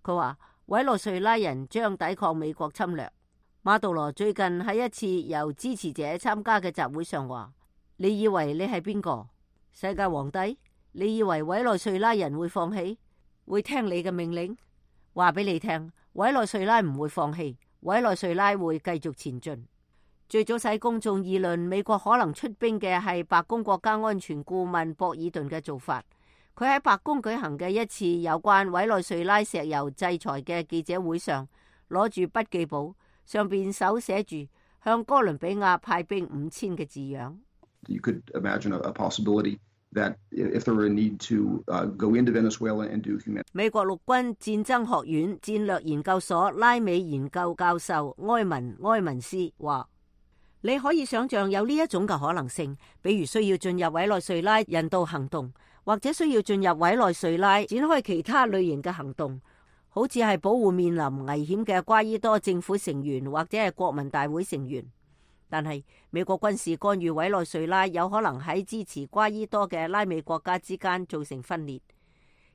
D: 佢話委內瑞拉人將抵抗美國侵略。馬杜羅最近喺一次由支持者參加嘅集會上話：你以為你係邊個？世界皇帝？你以為委內瑞拉人會放棄？會聽你嘅命令？話俾你聽，委內瑞拉唔會放棄，委內瑞拉會繼續前進。最早使公眾議論美國可能出兵嘅係白宮國家安全顧問博爾頓嘅做法。佢喺白宮舉行嘅一次有關委內瑞拉石油制裁嘅記者會上，攞住筆記簿，上邊手寫住向哥倫比亞派兵五千嘅字樣。
S: You could imagine a possibility that if there were a need to go into Venezuela and do humanitarian。
D: 美國陸軍戰爭學院戰略研究所拉美研究教授埃文埃文斯話：你可以想象有呢一種嘅可能性，比如需要進入委內瑞拉人道行動，或者需要進入委內瑞拉展開其他類型嘅行動，好似係保護面臨危險嘅瓜伊多政府成員或者係國民大會成員。但係美國軍事干預委內瑞拉有可能喺支持瓜伊多嘅拉美國家之間造成分裂，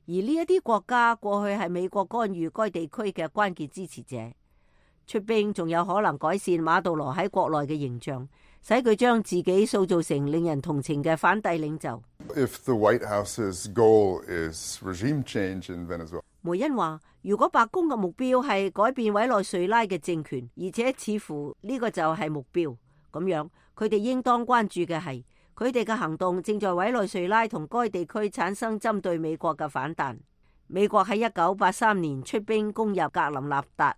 D: 而呢一啲國家過去係美國干預該地區嘅關鍵支持者。出兵仲有可能改善馬杜羅喺國內嘅形象，使佢將自己塑造成令人同情嘅反帝領袖。
T: If the White House's goal is regime change in Venezuela，
D: 梅恩話：如果白宮嘅目標係改變委內瑞拉嘅政權，而且似乎呢個就係目標，咁樣佢哋應當關注嘅係佢哋嘅行動正在委內瑞拉同該地區產生針對美國嘅反彈。美國喺一九八三年出兵攻入格林納達，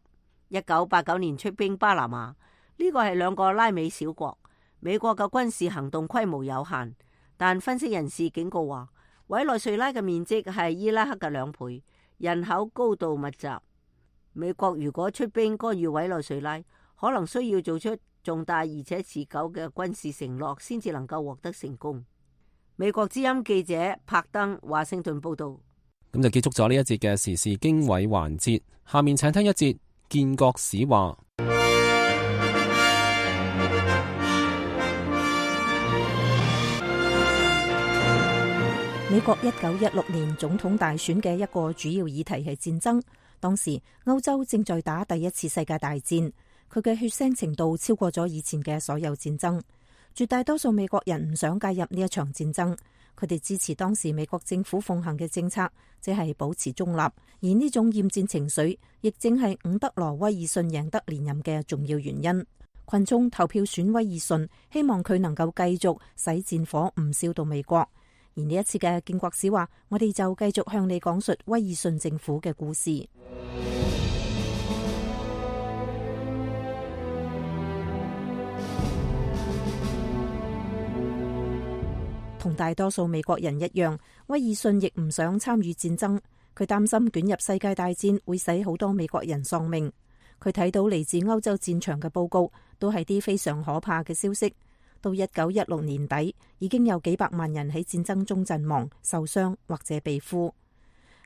D: 一九八九年出兵巴拿馬，呢個係兩個拉美小國。美國嘅軍事行動規模有限，但分析人士警告話，委內瑞拉嘅面積係伊拉克嘅兩倍，人口高度密集。美國如果出兵干預委內瑞拉，可能需要做出重大而且持久嘅軍事承諾，先至能夠獲得成功。美國之音記者柏登華盛頓報道。
B: 咁就結束咗呢一節嘅時事經緯環節，下面請聽一節建國史話。
C: 美國一九一六年總統大選嘅一個主要議題係戰爭。當時歐洲正在打第一次世界大戰，佢嘅血腥程度超過咗以前嘅所有戰爭。絕大多數美國人唔想介入呢一場戰爭，佢哋支持當時美國政府奉行嘅政策，即係保持中立。而呢種厭戰情緒，亦正係伍德羅威爾遜贏得連任嘅重要原因。群眾投票選威爾遜，希望佢能夠繼續使戰火唔燒到美國。而呢一次嘅建國史話，我哋就繼續向你講述威爾遜政府嘅故事。同大多數美國人一樣，威爾遜亦唔想參與戰爭，佢擔心捲入世界大戰會使好多美國人喪命。佢睇到嚟自歐洲戰場嘅報告，都係啲非常可怕嘅消息。到一九一六年底，已經有幾百萬人喺戰爭中陣亡、受傷或者被俘。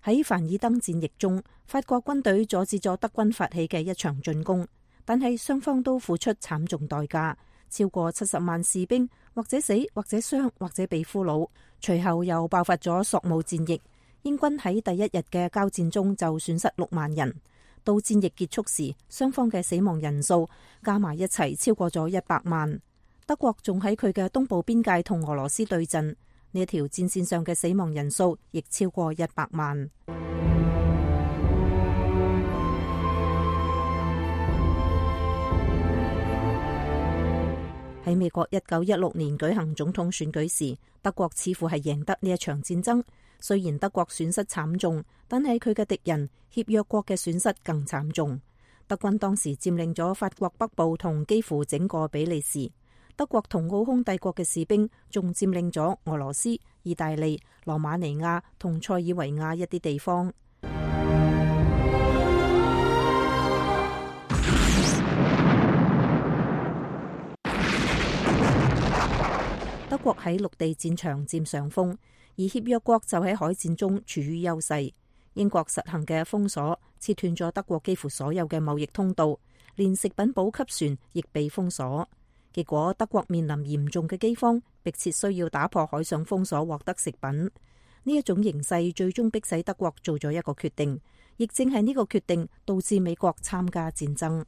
C: 喺凡爾登戰役中，法國軍隊阻止咗德軍發起嘅一場進攻，但係雙方都付出慘重代價，超過七十萬士兵或者死、或者傷、或者被俘虜。隨後又爆發咗索姆戰役，英軍喺第一日嘅交戰中就損失六萬人。到戰役結束時，雙方嘅死亡人數加埋一齊超過咗一百萬。德國仲喺佢嘅東部邊界同俄羅斯對陣，呢一條戰線上嘅死亡人數亦超過一百萬。喺美國一九一六年舉行總統選舉時，德國似乎係贏得呢一場戰爭。雖然德國損失慘重，但係佢嘅敵人協約國嘅損失更慘重。德軍當時佔領咗法國北部同幾乎整個比利時。德國同奧匈帝國嘅士兵仲佔領咗俄羅斯、意大利、羅馬尼亞同塞爾維亞一啲地方。德國喺陸地戰場佔上風，而協約國就喺海戰中處於優勢。英國實行嘅封鎖切斷咗德國幾乎所有嘅貿易通道，連食品補給船亦被封鎖。結果德國面臨嚴重嘅饑荒，迫切需要打破海上封鎖獲得食品。呢一種形勢最終迫使德國做咗一個決定，亦正係呢個決定導致美國參加戰爭。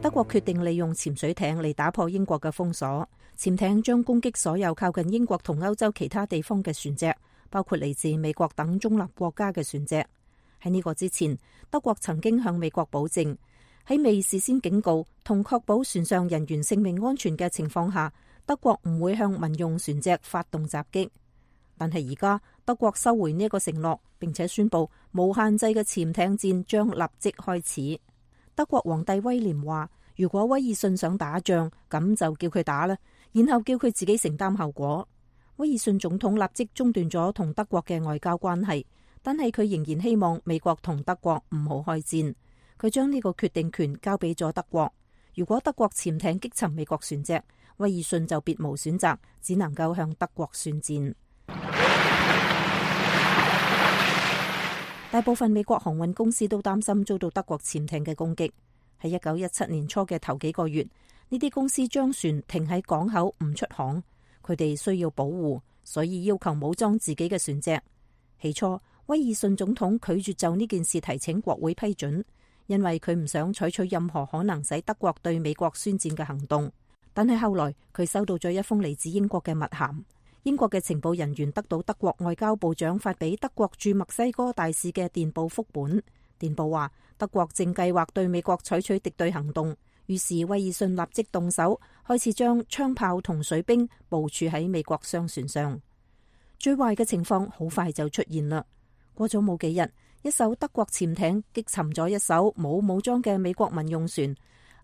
C: 德國決定利用潛水艇嚟打破英國嘅封鎖。潛艇將攻擊所有靠近英國同歐洲其他地方嘅船隻，包括嚟自美國等中立國家嘅船隻。喺呢個之前，德國曾經向美國保證，喺未事先警告同確保船上人員性命安全嘅情況下，德國唔會向民用船隻發動襲擊。但係而家德國收回呢一個承諾，並且宣布無限制嘅潛艇戰將立即開始。德國皇帝威廉話，如果威爾遜想打仗，咁就叫佢打啦，然後叫佢自己承擔後果。威爾遜總統立即中斷咗同德國嘅外交關係，但係佢仍然希望美國同德國唔好開戰。佢將呢個決定權交俾咗德國。如果德國潛艇擊沉美國船隻，威爾遜就別無選擇，只能夠向德國宣戰。大部分美國航運公司都擔心遭到德國潛艇嘅攻擊。喺一九一七年初嘅頭幾個月，呢啲公司將船停喺港口唔出航，佢哋需要保護，所以要求武裝自己嘅船隻。起初，威爾遜總統拒絕就呢件事提請國會批准，因為佢唔想採取任何可能使德國對美國宣戰嘅行動。但係後來佢收到咗一封嚟自英國嘅密函。英國嘅情報人員得到德國外交部長發俾德國駐墨西哥大使嘅電報複本。電報話德國正計劃對美國採取敵對行動，於是威爾遜立即動手，開始將槍炮同水兵部署喺美國商船上。最壞嘅情況好快就出現啦。過咗冇幾日，一艘德國潛艇擊沉咗一艘冇武裝嘅美國民用船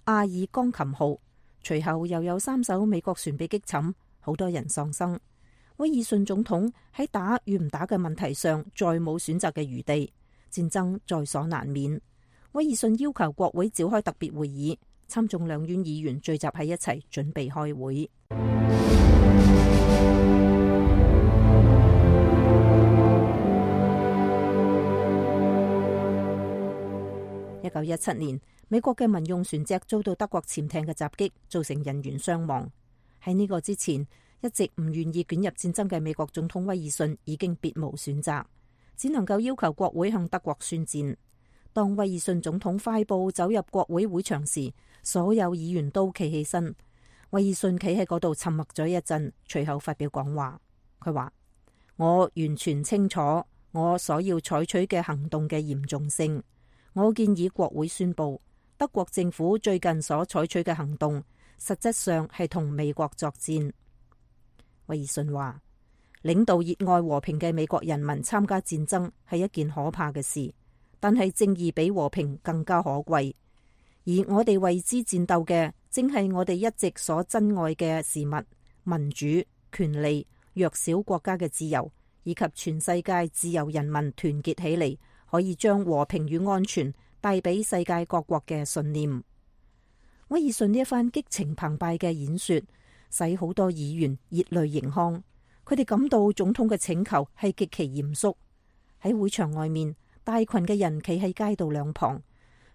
C: 阿爾鋼琴號，隨後又有三艘美國船被擊沉，好多人喪生。威爾遜總統喺打與唔打嘅問題上再冇選擇嘅餘地，戰爭在所難免。威爾遜要求國會召開特別會議，參眾兩院議員聚集喺一齊準備開會。一九一七年，美國嘅民用船隻遭到德國潛艇嘅襲擊，造成人員傷亡。喺呢個之前，一直唔願意捲入戰爭嘅美國總統威爾遜已經別無選擇，只能夠要求國會向德國宣戰。當威爾遜總統快步走入國會會場時，所有議員都企起身。威爾遜企喺嗰度沉默咗一陣，隨後發表講話。佢話：我完全清楚我所要採取嘅行動嘅嚴重性。我建議國會宣布，德國政府最近所採取嘅行動，實質上係同美國作戰。威爾遜話：領導熱愛和平嘅美國人民參加戰爭係一件可怕嘅事，但係正義比和平更加可貴。而我哋為之戰鬥嘅，正係我哋一直所珍愛嘅事物：民主、權利、弱小國家嘅自由，以及全世界自由人民團結起嚟，可以將和平與安全帶俾世界各國嘅信念。威爾遜呢一番激情澎湃嘅演說，使好多議員熱淚盈眶。佢哋感到總統嘅請求係極其嚴肅。喺會場外面，大群嘅人企喺街道兩旁，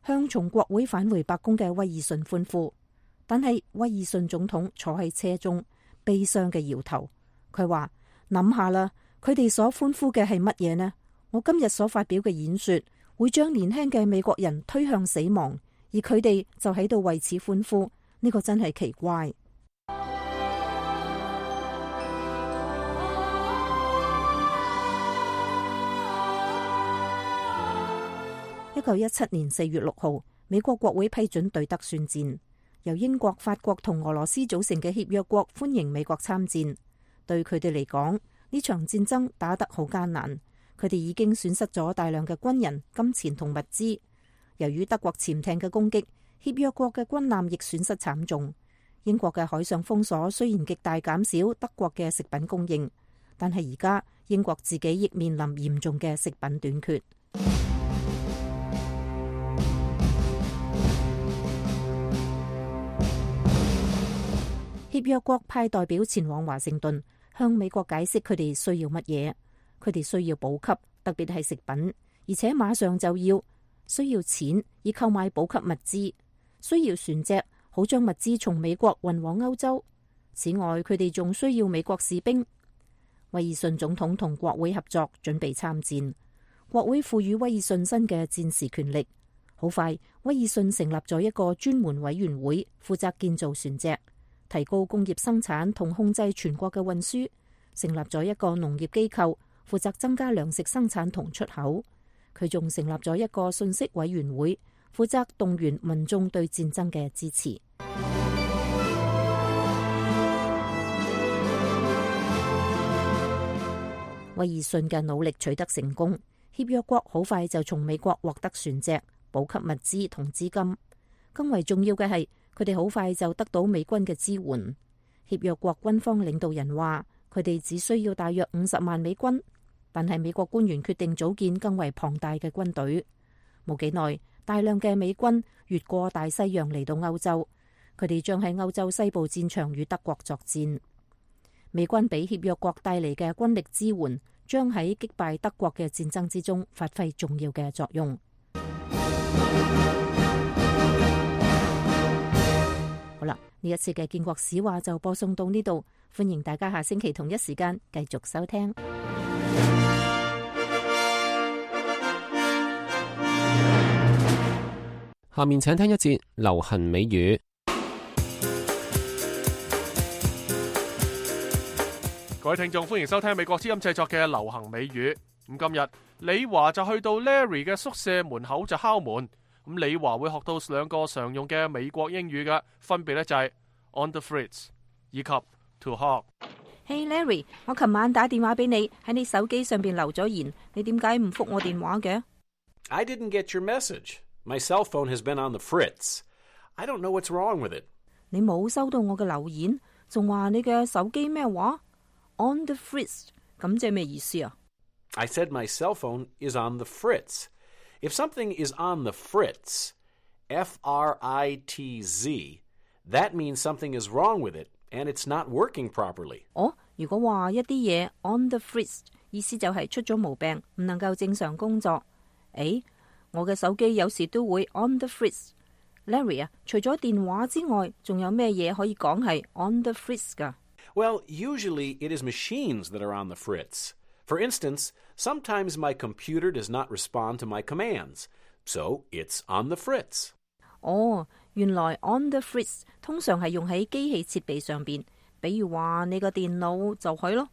C: 向從國會返回白宮嘅威爾遜歡呼，但係威爾遜總統坐喺車中，悲傷嘅搖頭。佢話：諗下啦，佢哋所歡呼嘅係乜嘢呢？我今日所發表嘅演說會將年輕嘅美國人推向死亡，而佢哋就喺度為此歡呼，呢個真係奇怪。一九一七年四月六號，美國國會批准對德宣戰，由英國、法國同俄羅斯組成嘅協約國歡迎美國參戰。對佢哋嚟講，呢場戰爭打得好艱難，佢哋已經損失咗大量嘅軍人、金錢同物資。由於德國潛艇嘅攻擊，協約國嘅軍艦亦損失慘重。英國嘅海上封鎖雖然極大減少德國嘅食品供應，但係而家英國自己亦面臨嚴重嘅食品短缺。協約國派代表前往華盛頓，向美國解釋佢哋需要乜嘢。佢哋需要補給，特別係食品，而且馬上就要。需要錢以購買補給物資，需要船隻，好將物資從美國運往歐洲。此外，佢哋仲需要美國士兵。威爾遜總統同國會合作，準備參戰。國會賦予威爾遜新嘅戰時權力。好快，威爾遜成立咗一個專門委員會，負責建造船隻，提高工業生產同控制全國嘅運輸，成立咗一個農業機構，負責增加糧食生產同出口。佢仲成立咗一個信息委員會，負責動員民眾對戰爭嘅支持。威爾遜嘅努力取得成功，協約國好快就從美國獲得船隻、補給物資同資金。更為重要嘅係，佢哋好快就得到美軍嘅支援。協約國軍方領導人話，佢哋只需要大約五十萬美軍。但係美國官員決定組建更為龐大嘅軍隊。冇幾耐，大量嘅美軍越過大西洋嚟到歐洲，佢哋將喺歐洲西部戰場與德國作戰。美軍俾協約國帶嚟嘅軍力支援，將喺擊敗德國嘅戰爭之中發揮重要嘅作用。好啦，呢一次嘅建國史話就播送到呢度，歡迎大家下星期同一時間繼續收聽。
B: 下面請聽一節流行美語。
A: 各位聽眾，歡迎收聽美國之音製作嘅流行美語。咁今日李華就去到 Larry 嘅宿舍門口就敲門。咁李華會學到兩個常用嘅美國英語嘅，分別咧就係 on the fritz 以及 to hog。Hey
C: Larry， 我琴晚打電話俾你，喺你手機上邊留咗言，你點解唔覆我電話嘅？
U: I didn't get your message.My cell phone has been on the fritz. I don't know what's wrong with it.
C: 你冇收到我嘅留言，仲話你嘅手機咩話 ？On the fritz， 咁即係咩意思啊
U: ？I said my cell phone is on the fritz. If something is on the fritz, F R I T Z, that means something is wrong with it and it's not working properly.
C: 哦，如果話一啲嘢 on the fritz， 意思就係出咗毛病，唔能夠正常工作。誒？我嘅手機有時都會 on the fritz。Larry 啊，除咗電話之外，仲有咩嘢可以講係 on the fritz 噶？
U: Well, usually it is machines that are on the fritz. For instance, sometimes my computer does not respond to my commands, so it's on the fritz.
C: 哦，原來 on the fritz 通常係用喺機器設備上邊，比如話你個電腦就係咯。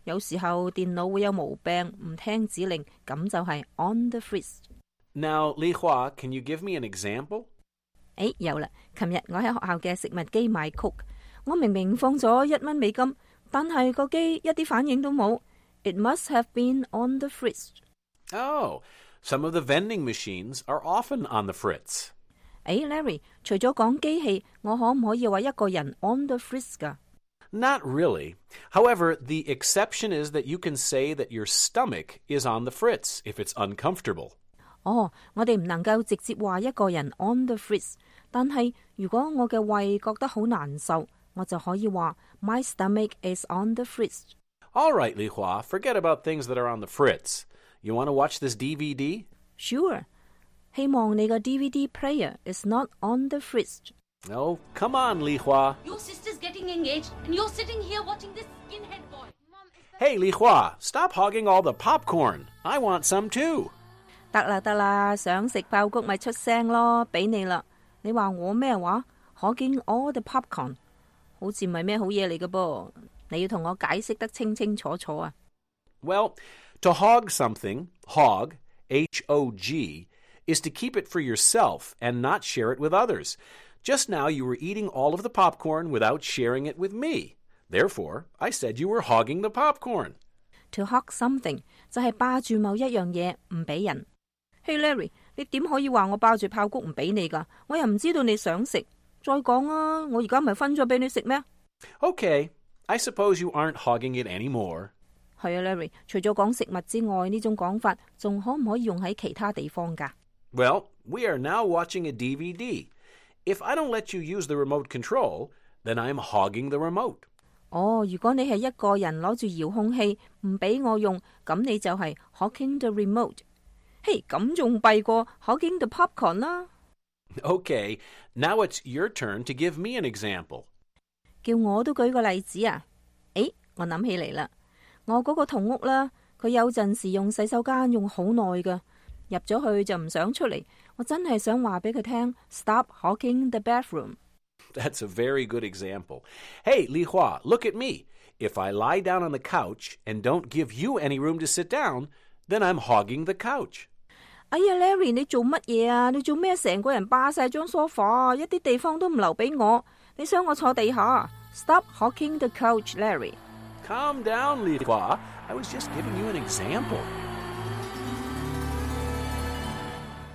C: 有時候電腦會有毛病，唔聽指令，咁就係 on the fritz。Now,
U: Li Hua, can you give me an example?
C: 誒，有啦！琴日我喺學校嘅食物機買曲，我明明放咗一蚊美金，但係個機一啲反應都冇。It must have been on the fritz.
U: Oh, some of the vending machines are often on the fritz.
C: 誒 ，Larry， 除咗講機器，我可唔可以話一個人 on the fritz 噶？
U: Not really. However, the exception is that you can say that your stomach is on the fritz if it's uncomfortable.
C: 哦，我哋唔能夠直接話一個人 on the fritz， 但係如果我嘅胃覺得好難受，我就可以話 My stomach is on the fritz.
U: All right, Li Hua, forget about things that are on the fritz. You want to watch this D V D?
C: Sure. 希望你個 D V D player is not on the fridge.
U: Oh, come on, Li Hua.
E: Your sister's getting engaged, and you're sitting here watching this skinhead boy.
U: Hey, Li Hua, stop hogging all the popcorn. I want some too.
C: 得啦得啦，想食爆谷咪出聲咯，俾你啦。你話我咩話？hogging all the popcorn， 好似唔係咩好嘢嚟嘅噃。你要同我解釋得清清楚楚啊。
U: Well, to hog something, hog, H O G, is to keep it for yourself and not share it with others. Just now you were eating all of the popcorn without sharing it with me. Therefore, I said you were hogging the popcorn.
C: To hog something 就係霸住某一樣嘢唔俾人。Hey Larry， 你點可以話我霸住爆谷唔俾你㗎？我又唔知道你想食。再講啊，我而家咪分咗俾你食咩？
U: Okay, I suppose you aren't hogging it anymore.
C: 係啊 Larry， 除咗講食物之外，呢種講法仲可唔可以用喺其他地方㗎？
U: Well, we are now watching a D V D. If I don't let you use the remote control, then I'm hogging the remote.
C: 哦，如果你係一個人攞住遙控器唔俾我用，咁你就係 hogging the remote。嘿，咁仲弊過 hogging the popcorn 啦。
U: Okay, now it's your turn to give me an example.
C: 叫我都舉個例子啊！誒，我諗起嚟啦，我嗰個同屋啦，佢有陣時用洗手間用好耐㗎，入咗去就唔想出嚟。我真係想話俾佢聽 ，Stop hogging the bathroom.
U: That's a very good example. Hey, Li Hua, look at me. If I lie down on the couch and don't give you any room to sit down, then I'm hogging the couch.
C: 哎呀 ，Larry， 你做乜嘢啊？你做咩成個人霸晒張梳化，一啲地方都唔留俾我？你想我坐地下 ？Stop hogging the couch, Larry.
U: Calm down, Li Hua. I was just giving you an example.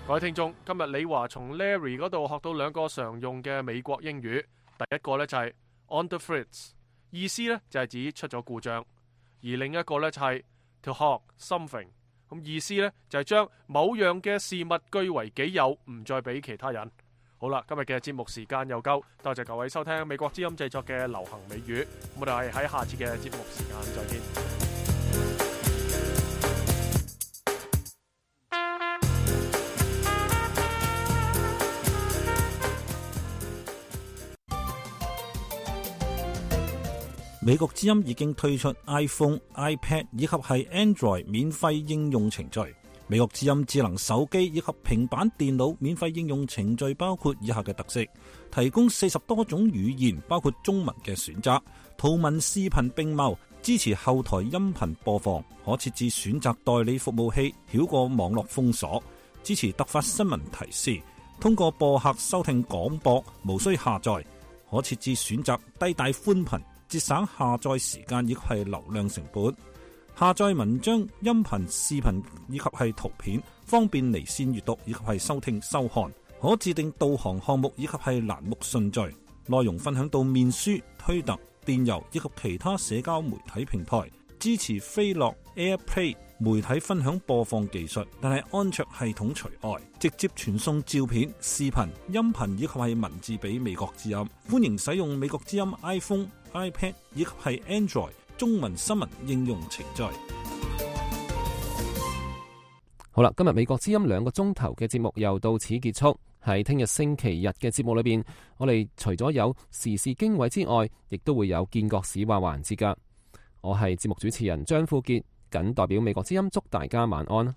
A: 各位聽眾，今日李華從 Larry 嗰度學到兩個常用嘅美國英語。第一個呢就係 on the fritz， 意思呢就係指出咗故障；而另一個呢就係 to hog something， 咁意思呢就係將某樣嘅事物據為己有，唔再俾其他人。好啦，今日嘅節目時間又夠，多謝各位收聽美國之音製作嘅流行美語。我哋係喺下次嘅節目時間再見。
V: 美國之音已經推出 iPhone、iPad 以及係 Android 免費應用程序。美國之音智能手機以及平板電腦免費應用程序包括以下嘅特色：提供四十多種語言，包括中文嘅選擇，圖文視頻並茂，支持後台音頻播放，可設置選擇代理服務器，繞過網絡封鎖，支持突發新聞提示，通過播客收聽廣播，無需下載，可設置選擇低帶寬頻，節省下載時間以及係流量成本。下載文章、音頻、視頻以及係圖片，方便離線閱讀以及係收聽收看。可自定導航項目以及係欄目順序。內容分享到面書、推特、電郵以及其他社交媒體平台。支持飛樂 AirPlay 媒體分享播放技術，但係安卓系統除外。直接傳送照片、視頻、音頻以及係文字俾美國之音。歡迎使用美國之音 iPhone、iPad 以及係 Android 中文新聞應用程序。
B: 好啦，今日美國之音兩個鐘頭嘅節目又到此結束。喺聽日星期日嘅節目裏邊，我哋除咗有時事經緯之外，亦都會有見國史話環節噶。我係節目主持人張富傑，謹代表美國之音祝大家晚安。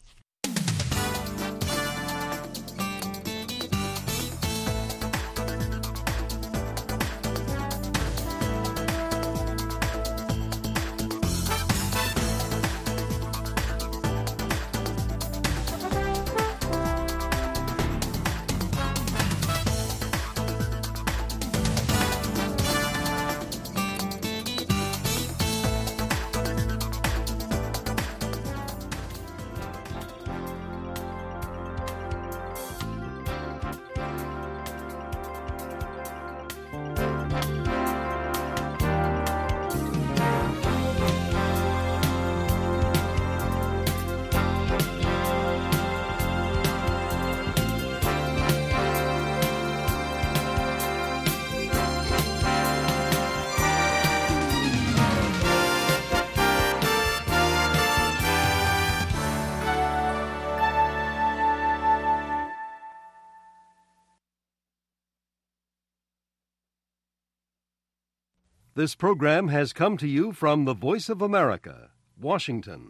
F: This program has come to you from the Voice of America, Washington.